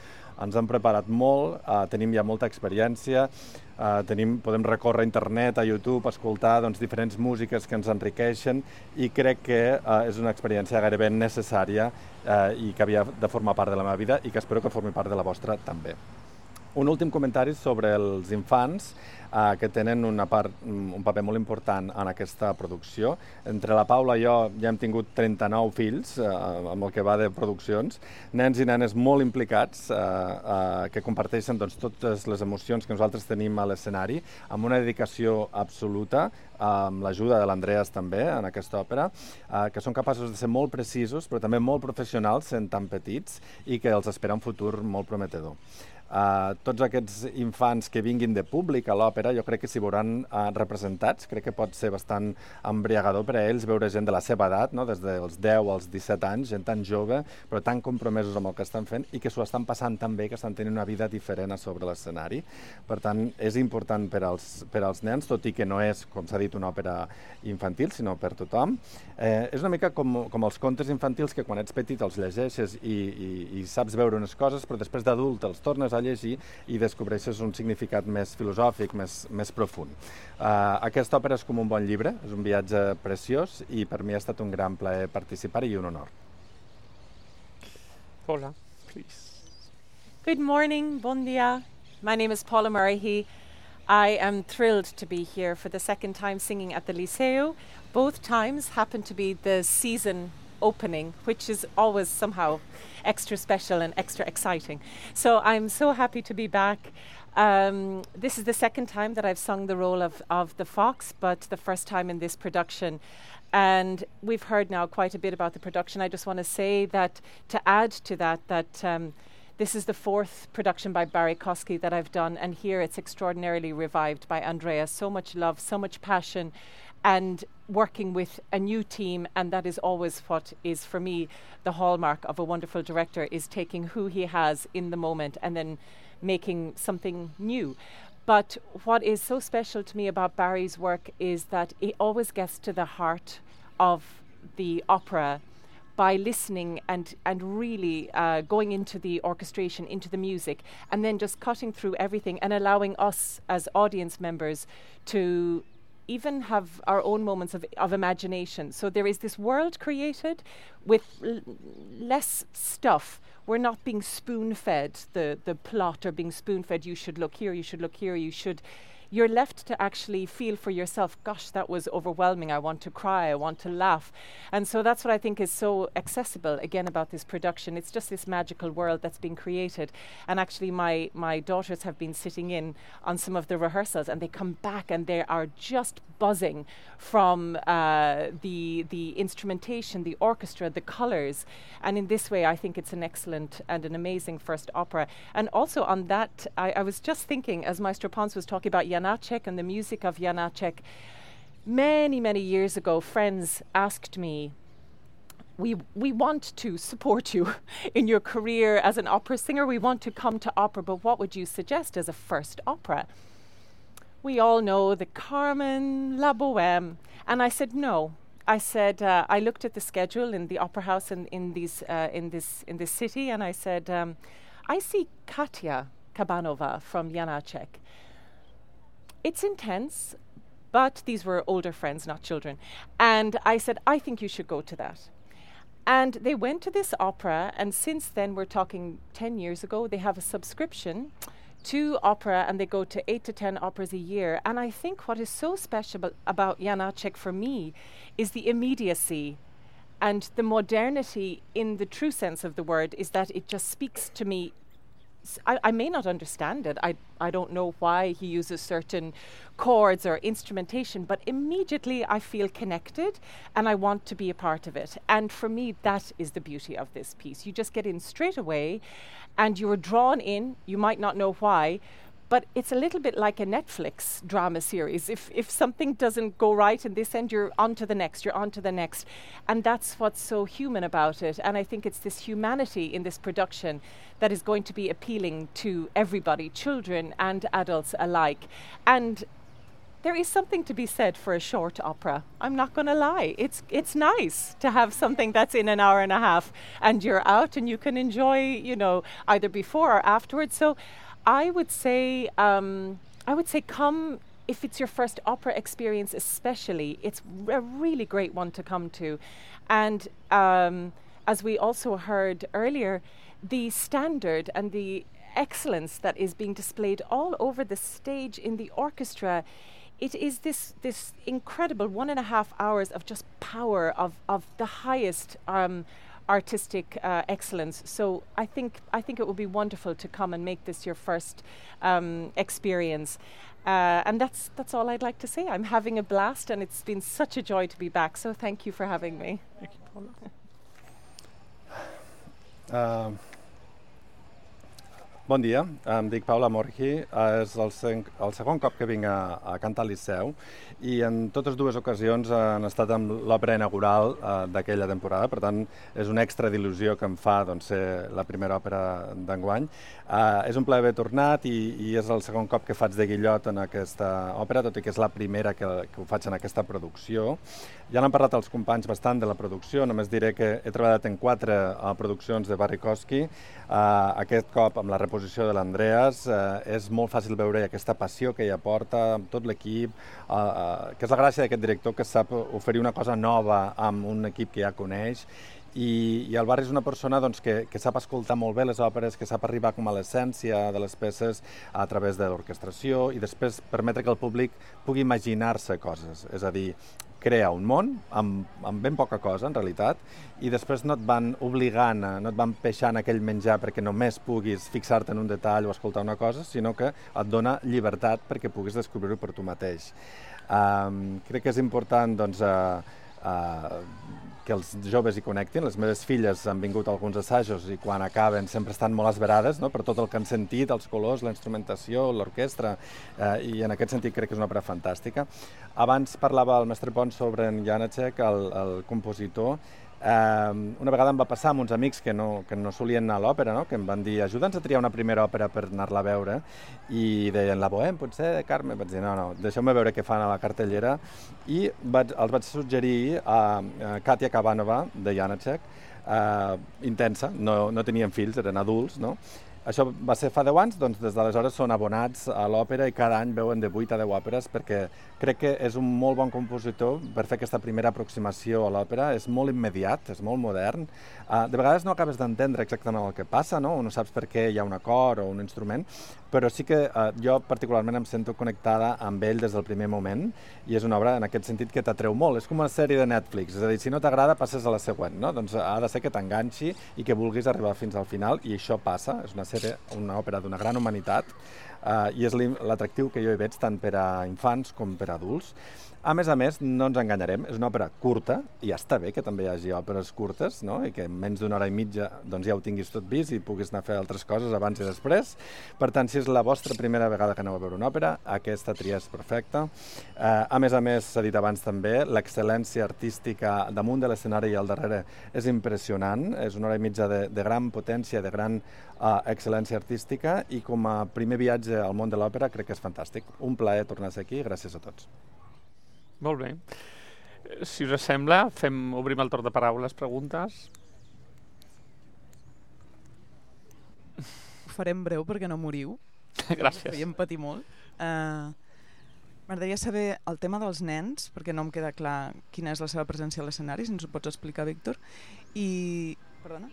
Ens hem preparat molt, uh, tenim ja molta experiència, uh, tenim, podem recórrer a internet, a YouTube, escoltar doncs, diferents músiques que ens enriqueixen i crec que uh, és una experiència gairebé necessària uh, i que havia de formar part de la meva vida i que espero que formi part de la vostra també. Un últim comentari sobre els infants, eh, que tenen una part, un paper molt important en aquesta producció. Entre la Paula i jo ja hem tingut trenta-nou fills, eh, amb el que va de produccions, nens i nenes molt implicats, eh, eh, que comparteixen doncs, totes les emocions que nosaltres tenim a l'escenari, amb una dedicació absoluta, amb l'ajuda de l'Andreas també en aquesta òpera, eh, que són capaços de ser molt precisos, però també molt professionals, sent tan petits, i que els espera un futur molt prometedor. Uh, tots aquests infants que vinguin de públic a l'òpera jo crec que s'hi veuran uh, representats. Crec que pot ser bastant embriagador per a ells veure gent de la seva edat, no? Des dels deu als disset anys, gent tan jove però tan compromesos amb el que estan fent i que s'ho estan passant tan bé, que estan tenint una vida diferent a sobre l'escenari. Per tant, és important per als, per als nens, tot i que no és, com s'ha dit, una òpera infantil, sinó per tothom. Eh, és una mica com, com els contes infantils que quan ets petit els llegeixes i, i, i saps veure unes coses, però després d'adult els tornes a llegir i descobreixes un significat més filosòfic, més, més profund. Uh, aquesta òpera és com un bon llibre, és un viatge preciós i per mi ha estat un gran plaer participar i un honor. Paula, please. Good morning, bon dia. My name is Paula Murray. I am thrilled to be here for the second time singing at the Liceu. Both times happen to be the season opening, which is always somehow extra special and extra exciting. So I'm so happy to be back. Um, this is the second time that I've sung the role of, of the fox, but the first time in this production. And we've heard now quite a bit about the production. I just want to say that, to add to that, that um, this is the fourth production by Barry Kosky that I've done, and here it's extraordinarily revived by Andreas. So much love, so much passion, and working with a new team, and that is always what is, for me, the hallmark of a wonderful director, is taking who he has in the moment and then making something new. But what is so special to me about Barry's work is that he always gets to the heart of the opera by listening and, and really uh, going into the orchestration, into the music, and then just cutting through everything and allowing us as audience members to even have our own moments of, of imagination. So there is this world created with l- less stuff. We're not being spoon-fed the, the plot, or being spoon-fed, you should look here, you should look here, you should you're left to actually feel for yourself, gosh, that was overwhelming. I want to cry. I want to laugh. And so that's what I think is so accessible, again, about this production. It's just this magical world that's been created. And actually, my, my daughters have been sitting in on some of the rehearsals, and they come back and they are just buzzing from uh, the the instrumentation, the orchestra, the colours. And in this way, I think it's an excellent and an amazing first opera. And also on that, I, I was just thinking, as Maestro Pons was talking about Janacek and the music of Janacek, many, many years ago, friends asked me, we we want to support you in your career as an opera singer. We want to come to opera, but what would you suggest as a first opera? We all know the Carmen, La Bohème. And I said, no. I said, uh, I looked at the schedule in the opera house in, in, these, uh, in, this, in this city, and I said, um, I see Katya Kabanova from Janacek. It's intense, but these were older friends, not children. And I said, I think you should go to that. And they went to this opera, and since then, we're talking ten years ago, they have a subscription to opera, and they go to eight to ten operas a year. And I think what is so special ab- about Janacek for me is the immediacy and the modernity in the true sense of the word, is that it just speaks to me. I, I may not understand it. I, I don't know why he uses certain chords or instrumentation, but immediately I feel connected and I want to be a part of it. And for me, that is the beauty of this piece. You just get in straight away and you're drawn in. You might not know why, but it's a little bit like a Netflix drama series. If if something doesn't go right in this end, you're on to the next, you're on to the next. And that's what's so human about it. And I think it's this humanity in this production that is going to be appealing to everybody, children and adults alike. And there is something to be said for a short opera. I'm not going to lie. It's it's nice to have something that's in an hour and a half and you're out and you can enjoy, you know, either before or afterwards. So I would say, um, I would say come, if it's your first opera experience especially, it's a really great one to come to. And um, as we also heard earlier, the standard and the excellence that is being displayed all over the stage in the orchestra, it is this this incredible one and a half hours of just power, of, of the highest um, artistic uh, excellence. So I think I think it would be wonderful to come and make this your first um, experience. Uh, and that's that's all I'd like to say. I'm having a blast, and it's been such a joy to be back. So thank you for having me. Thank you, Paula. Uh, bon dia, em dic Paula Morgi, és el, sen- el segon cop que vinc a, a cantar al Liceu i en totes dues ocasions han estat amb l'òpera inaugural uh, d'aquella temporada, per tant és una extra d'il·lusió que em fa doncs, ser la primera òpera d'enguany. Uh, és un plaer haver tornat i, i és el segon cop que faig de Guillot en aquesta òpera, tot i que és la primera que, que ho faig en aquesta producció. Ja n'han parlat els companys bastant de la producció, només diré que he treballat en quatre uh, produccions de Barikowski. Uh, aquest cop amb la reposició de l'Andreas uh, és molt fàcil veure aquesta passió que ella porta amb tot l'equip, uh, uh, que és la gràcia d'aquest director, que sap oferir una cosa nova amb un equip que ja coneix. I, i el Barri és una persona doncs, que, que sap escoltar molt bé les òperes, que sap arribar com a l'essència de les peces a través de l'orquestració i després permetre que el públic pugui imaginar-se coses, és a dir, crea un món amb, amb ben poca cosa, en realitat, i després no et van obligant, no et van peixant aquell menjar perquè només puguis fixar-te en un detall o escoltar una cosa, sinó que et dona llibertat perquè puguis descobrir-ho per tu mateix. Um, crec que és important doncs, uh, uh, que els joves hi connectin. Les meves filles han vingut a alguns assajos i quan acaben sempre estan molt esverades, no?, per tot el que han sentit, els colors, la instrumentació, l'orquestra, eh, i en aquest sentit crec que és una òpera fantàstica. Abans parlava el mestre Pons sobre en Janacek, el, el compositor. Eh, una vegada em va passar amb uns amics que no, que no solien anar a l'òpera, no?, que em van dir ajuda'ns a triar una primera òpera per anar-la a veure, i deien la Bohème, potser, Carme. Vaig dir no, no, deixeu-me veure què fan a la cartellera, i vaig, els vaig suggerir a, a Katya Kabanova de Janacek, eh, intensa, no, no tenien fills, eren adults, no? Això va ser fa deu anys, doncs des d'aleshores són abonats a l'òpera i cada any veuen de vuit a deu òperes perquè crec que és un molt bon compositor per fer aquesta primera aproximació a l'òpera. És molt immediat, és molt modern. Uh, de vegades no acabes d'entendre exactament el que passa, no? No saps per què hi ha un acord o un instrument, però sí que uh, jo particularment em sento connectada amb ell des del primer moment i és una obra en aquest sentit que t'atreu molt. És com una sèrie de Netflix, és a dir, si no t'agrada passes a la següent, no? Doncs ha de ser que t'enganxi i que vulguis arribar fins al final i això passa. És una sèrie, una òpera d'una gran humanitat uh, i és l'atractiu que jo hi veig tant per a infants com per a adults. A més a més, no ens enganyarem, és una òpera curta, i ja està bé que també hi hagi òperes curtes, no? I que en menys d'una hora i mitja doncs, ja ho tinguis tot vist i puguis anar a fer altres coses abans i després. Per tant, si és la vostra primera vegada que aneu a veure una òpera, aquesta tria és perfecta. Eh, a més a més, s'ha dit abans també, l'excel·lència artística damunt de l'escenari i al darrere és impressionant, és una hora i mitja de, de gran potència, de gran uh, excel·lència artística, i com a primer viatge al món de l'òpera crec que és fantàstic. Un plaer tornar a ser aquí, gràcies a tots. Molt bé. Si us sembla, fem, obrim el torn de paraules, preguntes. Ho farem breu perquè no moriu. Gràcies. Feiem patir molt. Uh, M'agradaria saber el tema dels nens, perquè no em queda clar quina és la seva presència a l'escenari, si ens ho pots explicar, Víctor. I... Perdona?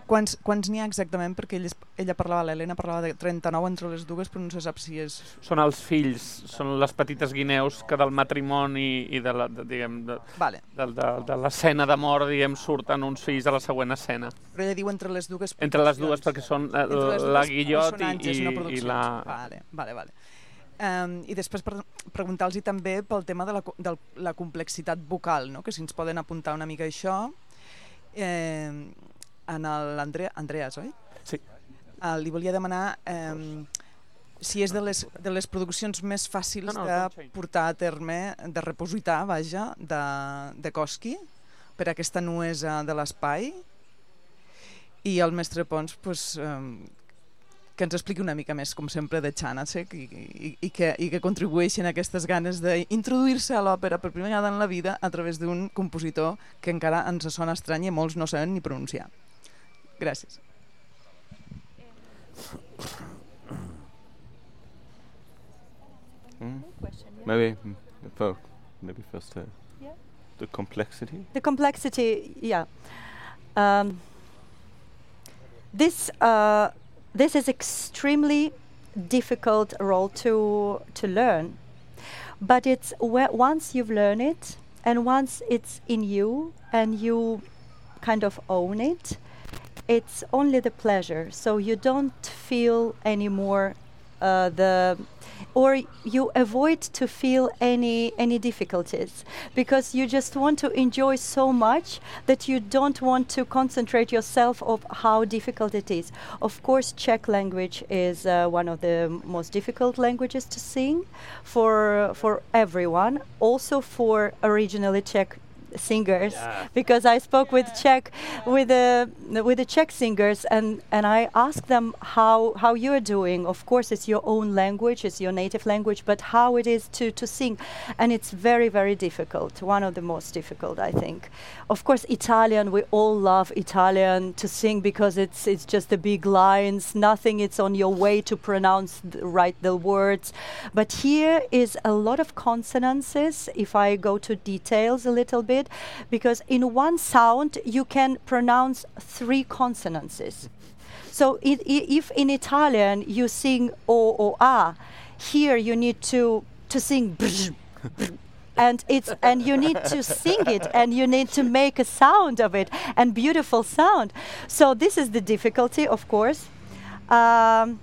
Quants quants n'hi ha exactament? Perquè ella, ella parlava, l'Helena parlava de trenta-nou entre les dues, però no se sap si és... Són els fills, són les petites guineus que del matrimoni i de la, de, diguem, de, vale. de, de, de l'escena de mort, diguem, surten uns fills a la següent escena. Però ella diu entre les dues... Entre les dues, perquè són la, la Guillot i, i, no i la... Vale, vale, vale. Um, I després per preguntar-los també pel tema de la, de la complexitat vocal, no? Que si ens poden apuntar una mica això. Eh, en l'Andrea, Andreas, oi? Sí. Uh, li volia demanar um, si és de les, de les produccions més fàcils no, no, de portar a terme, de repositar, vaja, de, de Koski, per aquesta nuesa de l'espai. I el mestre Pons, pues, um, que ens expliqui una mica més, com sempre, de Janáček i, i, i, que, i que contribueixen a aquestes ganes d'introduir-se a l'òpera per primera vegada en la vida a través d'un compositor que encara ens sona estrany i molts no saben ni pronunciar. Gràcies. Mm. Maybe, for, maybe first uh, yeah. the complexity. The complexity, yeah. Um, this uh, this is extremely difficult role to to learn, but it's where once you've learned it and once it's in you and you kind of own it, it's only the pleasure. So you don't feel anymore uh, the, or you avoid to feel any any difficulties because you just want to enjoy so much that you don't want to concentrate yourself of how difficult it is. Of course, Czech language is uh, one of the most difficult languages to sing for for everyone, also for originally Czech singers, yeah. because I spoke yeah. with Czech with the with the Czech singers and and I asked them how how you're doing. Of course it's your own language, it's your native language, but how it is to to sing, and it's very very difficult, one of the most difficult, I think. Of course Italian, we all love Italian to sing because it's it's just the big lines, nothing, it's on your way to pronounce the, right the words, but here is a lot of consonances if I go to details a little bit, because in one sound you can pronounce three consonances. So it, I, if in Italian you sing o or a, here you need to to sing brz, brz, and it's and you need to sing it and you need to make a sound of it and beautiful sound. So this is the difficulty, of course. Um,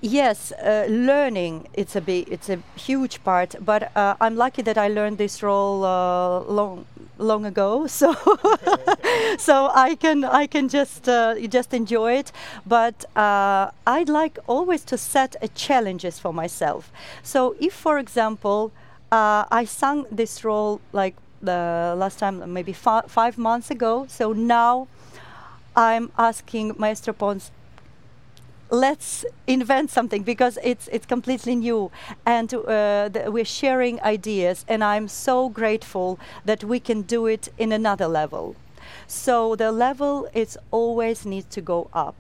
Yes, uh, learning, it's a big, it's a huge part, but uh, I'm lucky that I learned this role uh, long long ago, so so I can I can just uh, just enjoy it. But uh, I'd like always to set a challenges for myself. So if, for example, uh, I sang this role like the last time, maybe fi- five months ago, so now I'm asking Maestro Pons, let's invent something because it's it's completely new, and uh, th- we're sharing ideas, and I'm so grateful that we can do it in another level. So the level is always needs to go up,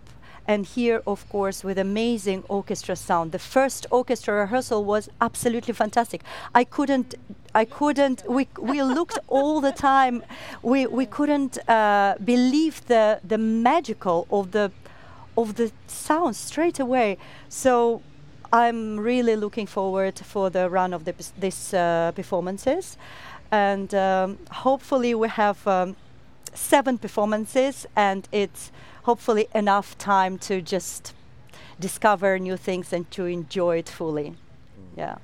And here, of course, with amazing orchestra sound. The first orchestra rehearsal was absolutely fantastic. I couldn't, I couldn't, we, we looked all the time. We, we couldn't uh, believe the, the magical of the, of the sound straight away. So I'm really looking forward for the run of the, these uh, performances. And um, hopefully we have um, seven performances, and it's hopefully enough time to just discover new things and to enjoy it fully. Mm. Yeah.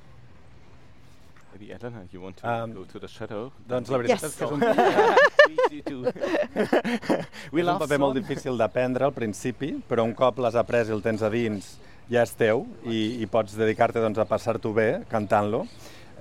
Maybe Elena, you want to um, go to the shadow? Doncs la veritat yes. és que és un, We és un paper molt difícil d'aprendre al principi, però un cop l'has après i el tens a dins, ja és teu i, i pots dedicar-te doncs, a passar-t'ho bé cantant-lo.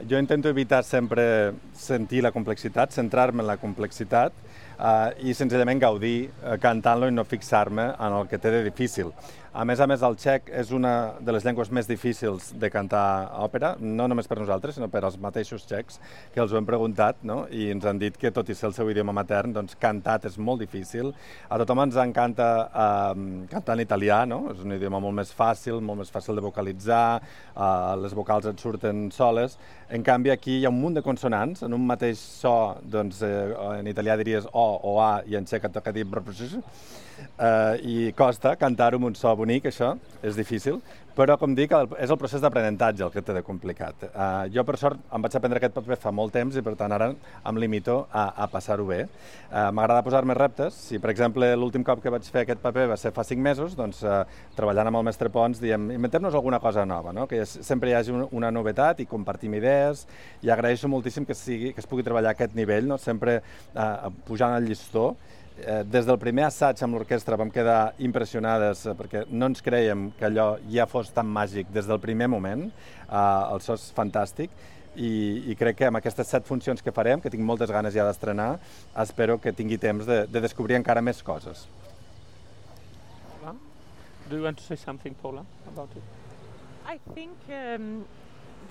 Jo intento evitar sempre sentir la complexitat, centrar-me en la complexitat uh, i senzillament gaudir uh, cantant-lo i no fixar-me en el que té de difícil. A més a més, el txec és una de les llengües més difícils de cantar òpera, no només per nosaltres, sinó per als mateixos txecs, que els ho hem preguntat, no? I ens han dit que, tot i ser el seu idioma matern, doncs cantat és molt difícil. A tothom ens encanta uh, cantar en italià, no? És un idioma molt més fàcil, molt més fàcil de vocalitzar, uh, les vocals et surten soles. En canvi, aquí hi ha un munt de consonants, en un mateix so, doncs, eh, en italià diries o o a, i en txec et toca dir Uh, i costa cantar-ho amb un so bonic, això, és difícil, però, com dic, el, és el procés d'aprenentatge el que té de complicat. Uh, jo, per sort, em vaig aprendre aquest paper fa molt temps i, per tant, ara em limito a, a passar-ho bé. Uh, M'agrada posar-me reptes. Si, per exemple, l'últim cop que vaig fer aquest paper va ser fa cinc mesos, doncs, uh, treballant amb el mestre Pons, diem, inventem-nos alguna cosa nova, no? Que sempre hi hagi un, una novetat i compartim idees, i agraeixo moltíssim que, sigui, que es pugui treballar a aquest nivell, no? Sempre uh, pujant el llistó. Des del primer assaig amb l'orquestra vam quedar impressionades perquè no ens creiem que allò ja fos tan màgic des del primer moment. El so és fantàstic i, i crec que amb aquestes set funcions que farem, que tinc moltes ganes ja d'estrenar, espero que tingui temps de, de descobrir encara més coses. Do you want to say something, Paula, about it? I think um,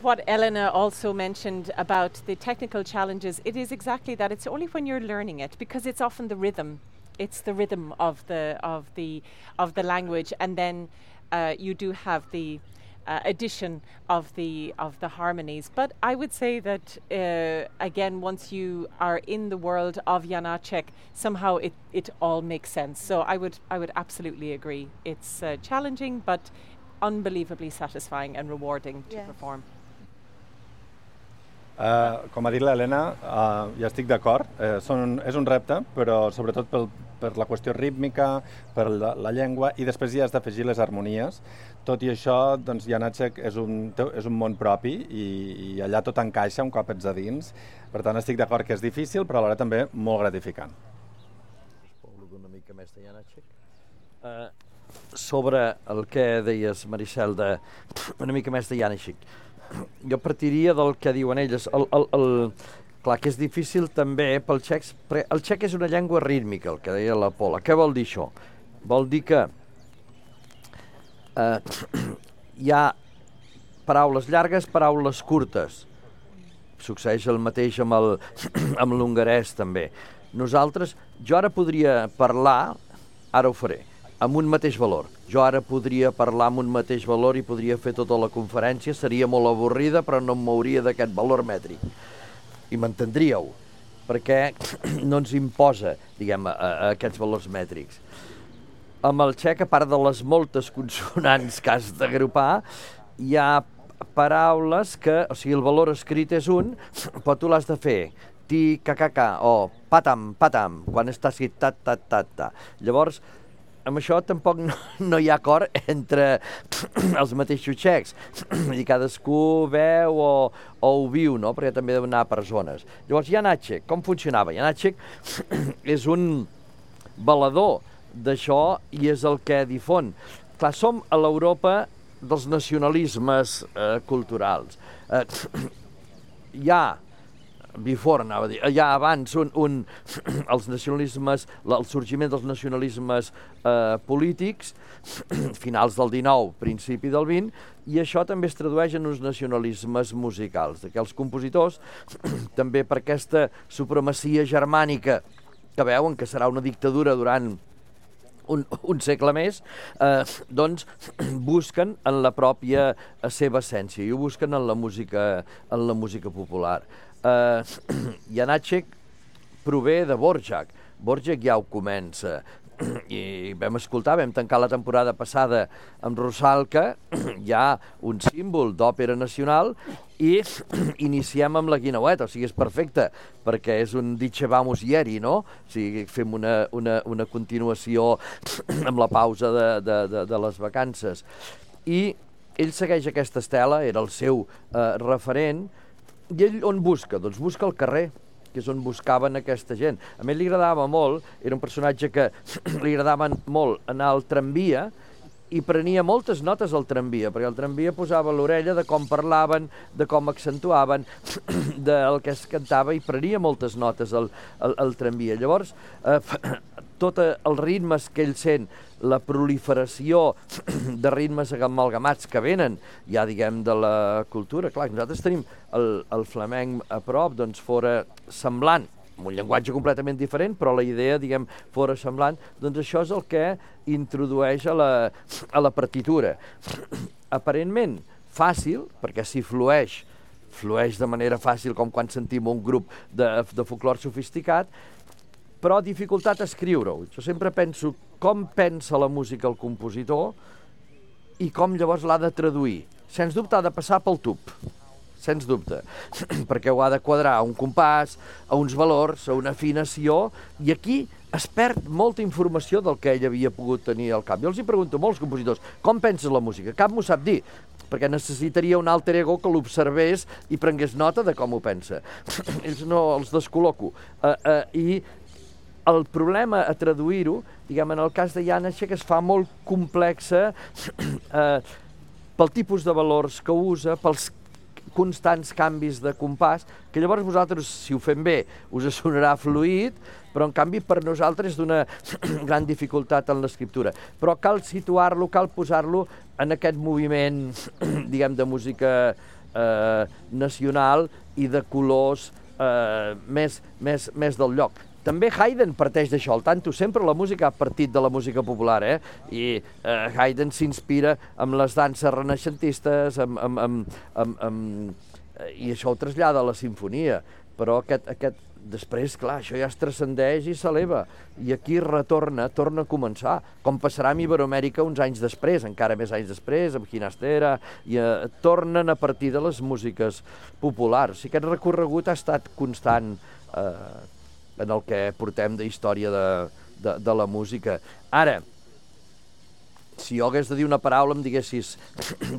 what Elena also mentioned about the technical challenges, it is exactly that. It's only when you're learning it, because it's often the rhythm. It's the rhythm of the of the of the language, and then uh, you do have the uh, addition of the of the harmonies. But I would say that uh, again, once you are in the world of Janáček, somehow it it all makes sense. So I would I would absolutely agree. It's uh, challenging, but unbelievably satisfying and rewarding to yeah. perform. Uh, com ha dit l'Helena, uh, ja estic d'acord, uh, són, és un repte, però sobretot pel, per la qüestió rítmica, per la, la llengua, i després hi has d'afegir les harmonies. Tot i això, doncs, Janáček és un, és un món propi i, i allà tot encaixa un cop ets a dins. Per tant, estic d'acord que és difícil, però alhora també molt gratificant. Parlo una mica més de Janáček. Uh, sobre el que deies, Maricel, de una mica més de Janáček, jo partiria del que diuen elles. El, el, el, clar que és difícil també pel txec, perquè el txec és una llengua rítmica, el que deia la Paula. Què vol dir això? Vol dir que eh, hi ha paraules llargues, paraules curtes. Succeeix el mateix amb el, amb l'hongarès també. Nosaltres, jo ara podria parlar, ara ho faré, amb un mateix valor. Jo ara podria parlar amb un mateix valor i podria fer tota la conferència, seria molt avorrida, però no em mouria d'aquest valor mètric. I m'entendríeu, perquè no ens imposa, diguem, a, a aquests valors mètrics. Amb el txec, a part de les moltes consonants que has d'agrupar, hi ha paraules que, o sigui, el valor escrit és un, però tu l'has de fer ti, ca, ca, ca, o patam, patam, quan està escrit ta, ta, ta, ta. Llavors, amb això tampoc no, no hi ha acord entre els mateixos txecs. I cadascú veu o, o ho viu, no? Perquè també ha d'anar per zones. Llavors, Janáček, com funcionava? Janáček és un balador d'això i és el que difon. Clar, som a l'Europa dels nacionalismes eh, culturals. Eh, hi ha before, anava a dir, ja abans un, un, els nacionalismes, el sorgiment dels nacionalismes eh, polítics, finals del dinou, principi del vint, i això també es tradueix en uns nacionalismes musicals, que els compositors, també per aquesta supremacia germànica, que veuen que serà una dictadura durant un, un segle més, eh, doncs busquen en la pròpia seva essència i ho busquen en la música, en la música popular. Eh, Janáček prové de Dvořák. Dvořák ja ho comença i vam escoltar, vam tancar la temporada passada amb Rusalka, ja un símbol d'òpera nacional, i iniciem amb la Guineueta, o sigui, és perfecte, perquè és un dicevamos ieri, no? O sigui, fem una, una, una continuació amb la pausa de, de, de, de les vacances. I ell segueix aquesta estela, era el seu eh, referent, i ell on busca? Doncs busca el carrer, que és on buscaven aquesta gent. A mi li agradava molt, era un personatge que li agradava molt anar al tramvia i prenia moltes notes al tramvia, perquè el tramvia posava l'orella de com parlaven, de com accentuaven, del que es cantava, i prenia moltes notes al, al, al tramvia. Llavors, eh, tots els ritmes que ell sent, la proliferació de ritmes amalgamats que venen, ja diguem, de la cultura. Clar, nosaltres tenim el, el flamenc a prop, doncs fora semblant, amb un llenguatge completament diferent, però la idea, diguem, fora semblant, doncs això és el que introdueix a la, a la partitura. Aparentment fàcil, perquè si flueix, flueix de manera fàcil, com quan sentim un grup de, de folclore sofisticat, però dificultat a escriure-ho. Jo sempre penso com pensa la música el compositor i com llavors l'ha de traduir. Sens dubte ha de passar pel tub, sens dubte, perquè ho ha de quadrar a un compàs, a uns valors, a una afinació, i aquí es perd molta informació del que ell havia pogut tenir al cap. Jo els hi pregunto a molts compositors, com penses la música? Cap m'ho sap dir, perquè necessitaria un alter ego que l'observés i prengués nota de com ho pensa. Ells no els descol·loco. Uh, uh, I el problema a traduir-ho, diguem, en el cas de Janáček, es fa molt complexa eh, pel tipus de valors que usa, pels constants canvis de compàs, que llavors vosaltres, si ho fem bé, us sonarà fluid, però en canvi per nosaltres és d'una gran dificultat en l'escriptura. Però cal situar-lo, cal posar-lo en aquest moviment, diguem, de música eh, nacional i de colors eh, més, més, més del lloc. També Haydn parteix d'això, al tanto, sempre la música ha partit de la música popular, eh? I eh, Haydn s'inspira amb les danses renaixentistes, amb, amb, amb, amb, amb, i això ho trasllada a la sinfonia, però aquest, aquest, després, clar, això ja es transcendeix i s'eleva, i aquí retorna, torna a començar, com passarà amb Iberoamèrica uns anys després, encara més anys després, amb Ginastera, i eh, tornen a partir de les músiques populars. O sigui, aquest recorregut ha estat constant, eh, en el que portem de història de, de, de la música. Ara, si jo hagués de dir una paraula, em diguessis,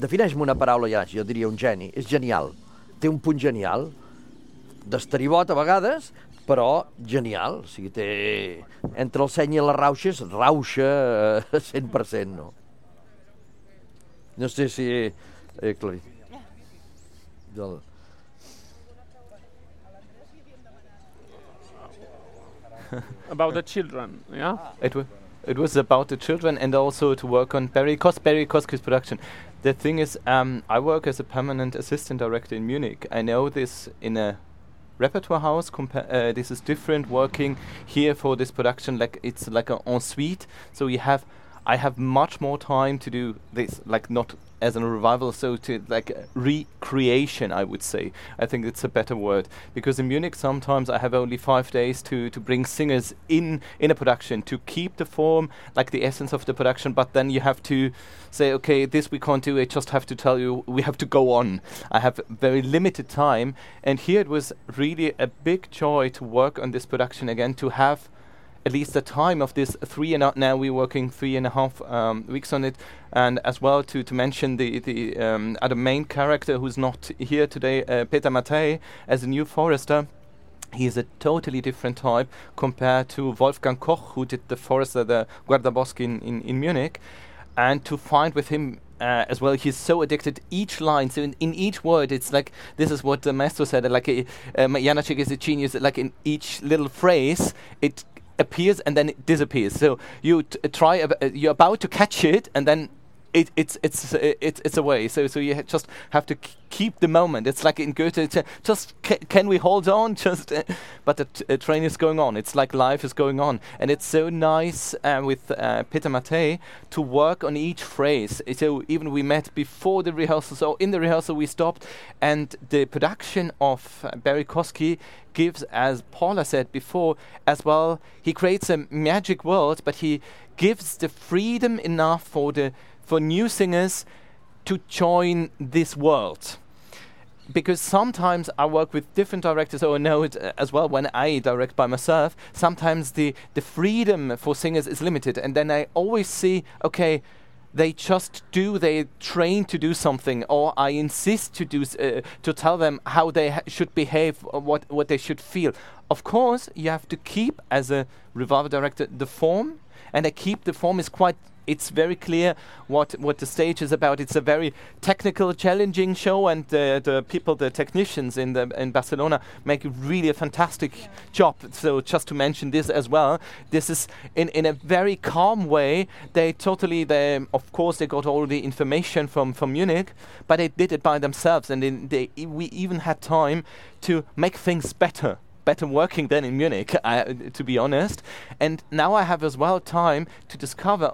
defineix-me una paraula, ja, jo diria un geni, és genial, té un punt genial, d'esteribot a vegades, però genial, o sigui, té, entre el seny i les rauxes, rauxa cent per cent, no? No sé si he aclarit. Del... About the children, yeah? It, w it was about the children and also to work on Barry, Kos Barry Kosky's production. The thing is, um, I work as a permanent assistant director in Munich. I know this in a repertoire house. Compa uh, this is different working here for this production. Like it's like an ensuite. So you have, I have much more time to do this. Like not as a revival, so to like recreation, I would say. I think it's a better word, because in Munich sometimes I have only five days to to bring singers in in a production to keep the form, like the essence of the production, but then you have to say, okay, this we can't do, I just have to tell you we have to go on. I have very limited time, and here it was really a big joy to work on this production again, to have at least the time of this three and a, now we're working three and a half um, weeks on it, and as well to to mention the the um, other main character who's not here today, uh, Peter Mattei, as a new Forester. He is a totally different type compared to Wolfgang Koch, who did the Forester, the Guardaboschi in, in, in Munich, and to find with him Uh, as well, he's so addicted each line, so in, in each word it's like, this is what the maestro said, like a, um, Janáček is a genius, like in each little phrase it appears and then it disappears, so you t try, uh, you're about to catch it and then it, it's it's it's it's away. So so you ha- just have to k- keep the moment. It's like in Goethe, it's, uh, just ca- can we hold on? Just, uh, but the t- uh, train is going on. It's like life is going on, and it's so nice uh, with uh, Peter Mattei to work on each phrase. So even we met before the rehearsal. So in the rehearsal we stopped, and the production of uh, Barry Kosky gives, as Paula said before, as well. He creates a magic world, but he gives the freedom enough for the for new singers to join this world. Because sometimes I work with different directors, or I know it uh, as well when I direct by myself, sometimes the, the freedom for singers is limited. And then I always see, okay, they just do, they train to do something, or I insist to do, uh, to tell them how they ha- should behave, or what, what they should feel. Of course, you have to keep, as a revival director, the form, and I keep the form is quite, it's very clear what, what the stage is about. It's a very technical, challenging show, and uh, the people, the technicians in the in Barcelona make really a fantastic yeah. job. So just to mention this as well, this is in, in a very calm way. They totally, they of course they got all the information from, from Munich, but they did it by themselves, and in they e- we even had time to make things better. better working than in Munich, uh, to be honest. And now I have as well time to discover,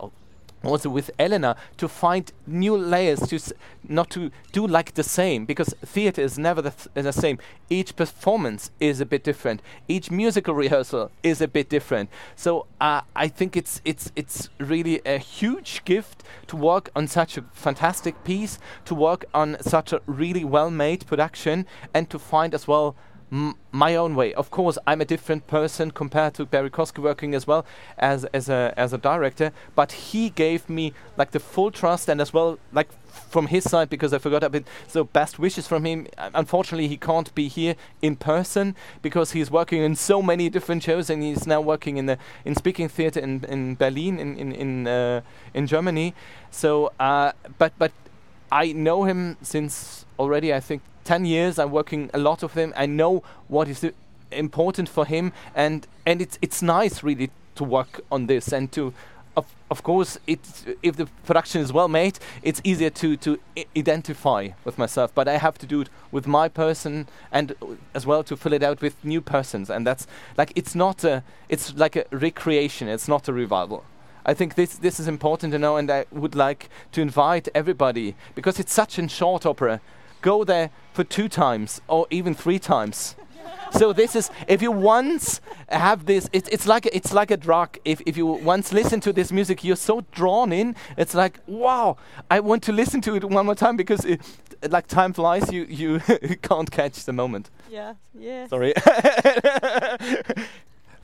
also with Elena, to find new layers, to s- not to do like the same, because theater is never the, th- the same. Each performance is a bit different. Each musical rehearsal is a bit different. So uh, I think it's it's it's really a huge gift to work on such a fantastic piece, to work on such a really well-made production, and to find as well M- my own way. Of course, I'm a different person compared to Barry Kosky, working as well as as a as a director. But he gave me like the full trust, and as well like f- from his side, because I forgot a bit. So best wishes from him. Uh, unfortunately, he can't be here in person because he's working in so many different shows, and he's now working in the in speaking theater in in Berlin in in in, uh, in Germany. So, uh, but but I know him since already, I think, ten years. I'm working a lot with him. I know what is uh, important for him, and and it's it's nice really to work on this, and to of of course it's, if the production is well made, it's easier to to I- identify with myself, but I have to do it with my person, and uh, as well to fill it out with new persons, and that's like it's not a it's like a recreation, it's not a revival. I think this this is important to know, and I would like to invite everybody, because it's such a short opera. Go there for two times or even three times. So this is, if you once have this, it's it's like a, it's like a drug. If if you once listen to this music, you're so drawn in. It's like, wow, I want to listen to it one more time, because it, like time flies. You you can't catch the moment. Yeah, yeah. Sorry.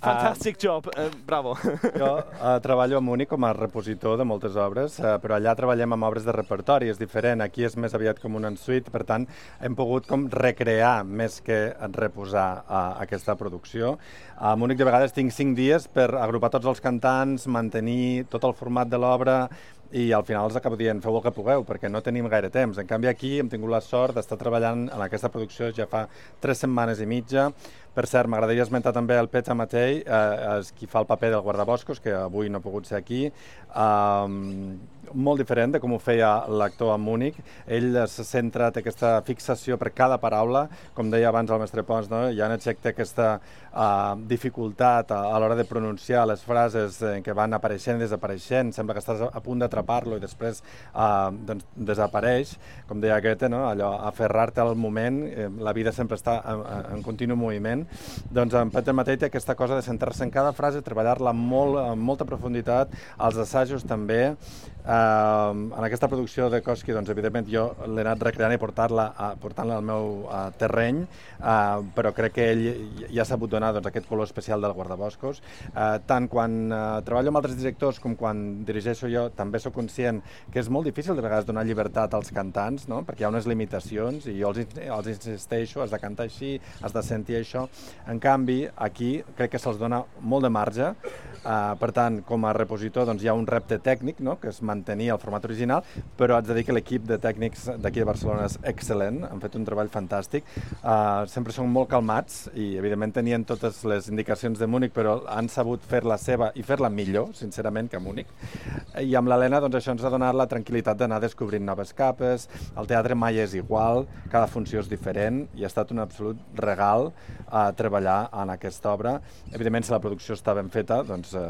Fantastic uh, job, uh, bravo. Jo uh, treballo a Múnich com a repositor de moltes obres, uh, però allà treballem amb obres de repertori, és diferent. Aquí és més aviat com un ensuite, per tant, hem pogut com recrear més que reposar uh, aquesta producció. A Múnich de vegades tinc cinc dies per agrupar tots els cantants, mantenir tot el format de l'obra, i al final els acabo dient, feu el que pugueu, perquè no tenim gaire temps. En canvi, aquí hem tingut la sort d'estar treballant en aquesta producció ja fa tres setmanes i mitja. Per cert, m'agradaria esmentar també el Peter Mattei, eh, és qui fa el paper del guardaboscos, que avui no ha pogut ser aquí. Um, molt diferent de com ho feia l'actor a Múnich. Ell se centra, té aquesta fixació per cada paraula, com deia abans el mestre Pons, no? Janacek té aquesta uh, dificultat a, a l'hora de pronunciar les frases eh, que van apareixent i desapareixent. Sembla que estàs a punt d'atrapar-lo i després uh, doncs, desapareix, com deia Goethe, no? Allò, aferrar-te al moment, eh, la vida sempre està en, en continu moviment. Doncs en Peter Mattei té aquesta cosa de centrar-se en cada frase, treballar-la molt, amb molta profunditat, als assajos també. Uh, en aquesta producció de Kosky, doncs, evidentment, jo l'he anat recreant i portar-la uh, portant-la al meu uh, terreny, uh, però crec que ell ja ha sabut donar doncs, aquest color especial del guardaboscos. Uh, tant quan uh, treballo amb altres directors com quan dirigeixo jo, també sóc conscient que és molt difícil de vegades donar llibertat als cantants, no? Perquè hi ha unes limitacions i jo els, els insisteixo, has de cantar així, has de sentir això. En canvi, aquí crec que se'ls dona molt de marge. Uh, per tant, com a repositor doncs, hi ha un repte tècnic, no?, que és mantenir el format original, però haig de dir que l'equip de tècnics d'aquí de Barcelona és excel·lent, han fet un treball fantàstic. Uh, sempre són molt calmats i, evidentment, tenien totes les indicacions de Múnich, però han sabut fer la seva i fer-la millor, sincerament, que a Múnich. I amb l'Helena doncs, això ens ha donat la tranquil·litat d'anar descobrint noves capes, el teatre mai és igual, cada funció és diferent i ha estat un absolut regal uh, treballar en aquesta obra. Evidentment, si la producció està ben feta, doncs eh,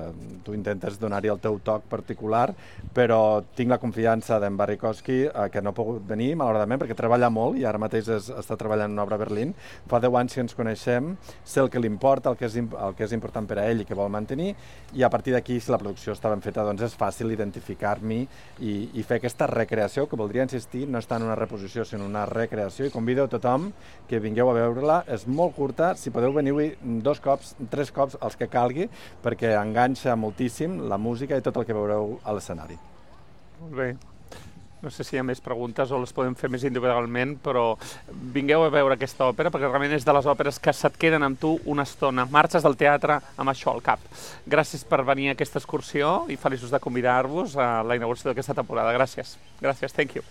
tu intentes donar-hi el teu toc particular, però tinc la confiança d'en Barrikowski, eh, que no ha pogut venir, malauradament, perquè treballa molt i ara mateix es, està treballant en una obra a Berlín. Fa deu anys que ens coneixem, sé el que li importa, el que és, el que és important per a ell i que vol mantenir, i a partir d'aquí, si la producció està ben feta, doncs és fàcil identificar-m'hi i, i fer aquesta recreació, que voldria insistir, no està en una reposició, sinó una recreació, i convido a tothom que vingueu a veure-la. És molt curta, si podeu venir-hi dos cops, tres cops, els que calgui, perquè enganxa moltíssim la música i tot el que veureu a l'escenari. Molt bé. No sé si hi ha més preguntes o les podem fer més individualment, però vingueu a veure aquesta òpera, perquè realment és de les òperes que se't queden amb tu una estona. Marxes del teatre amb això al cap. Gràcies per venir a aquesta excursió i feliços de convidar-vos a la inauguració d'aquesta temporada. Gràcies. Gràcies, thank you.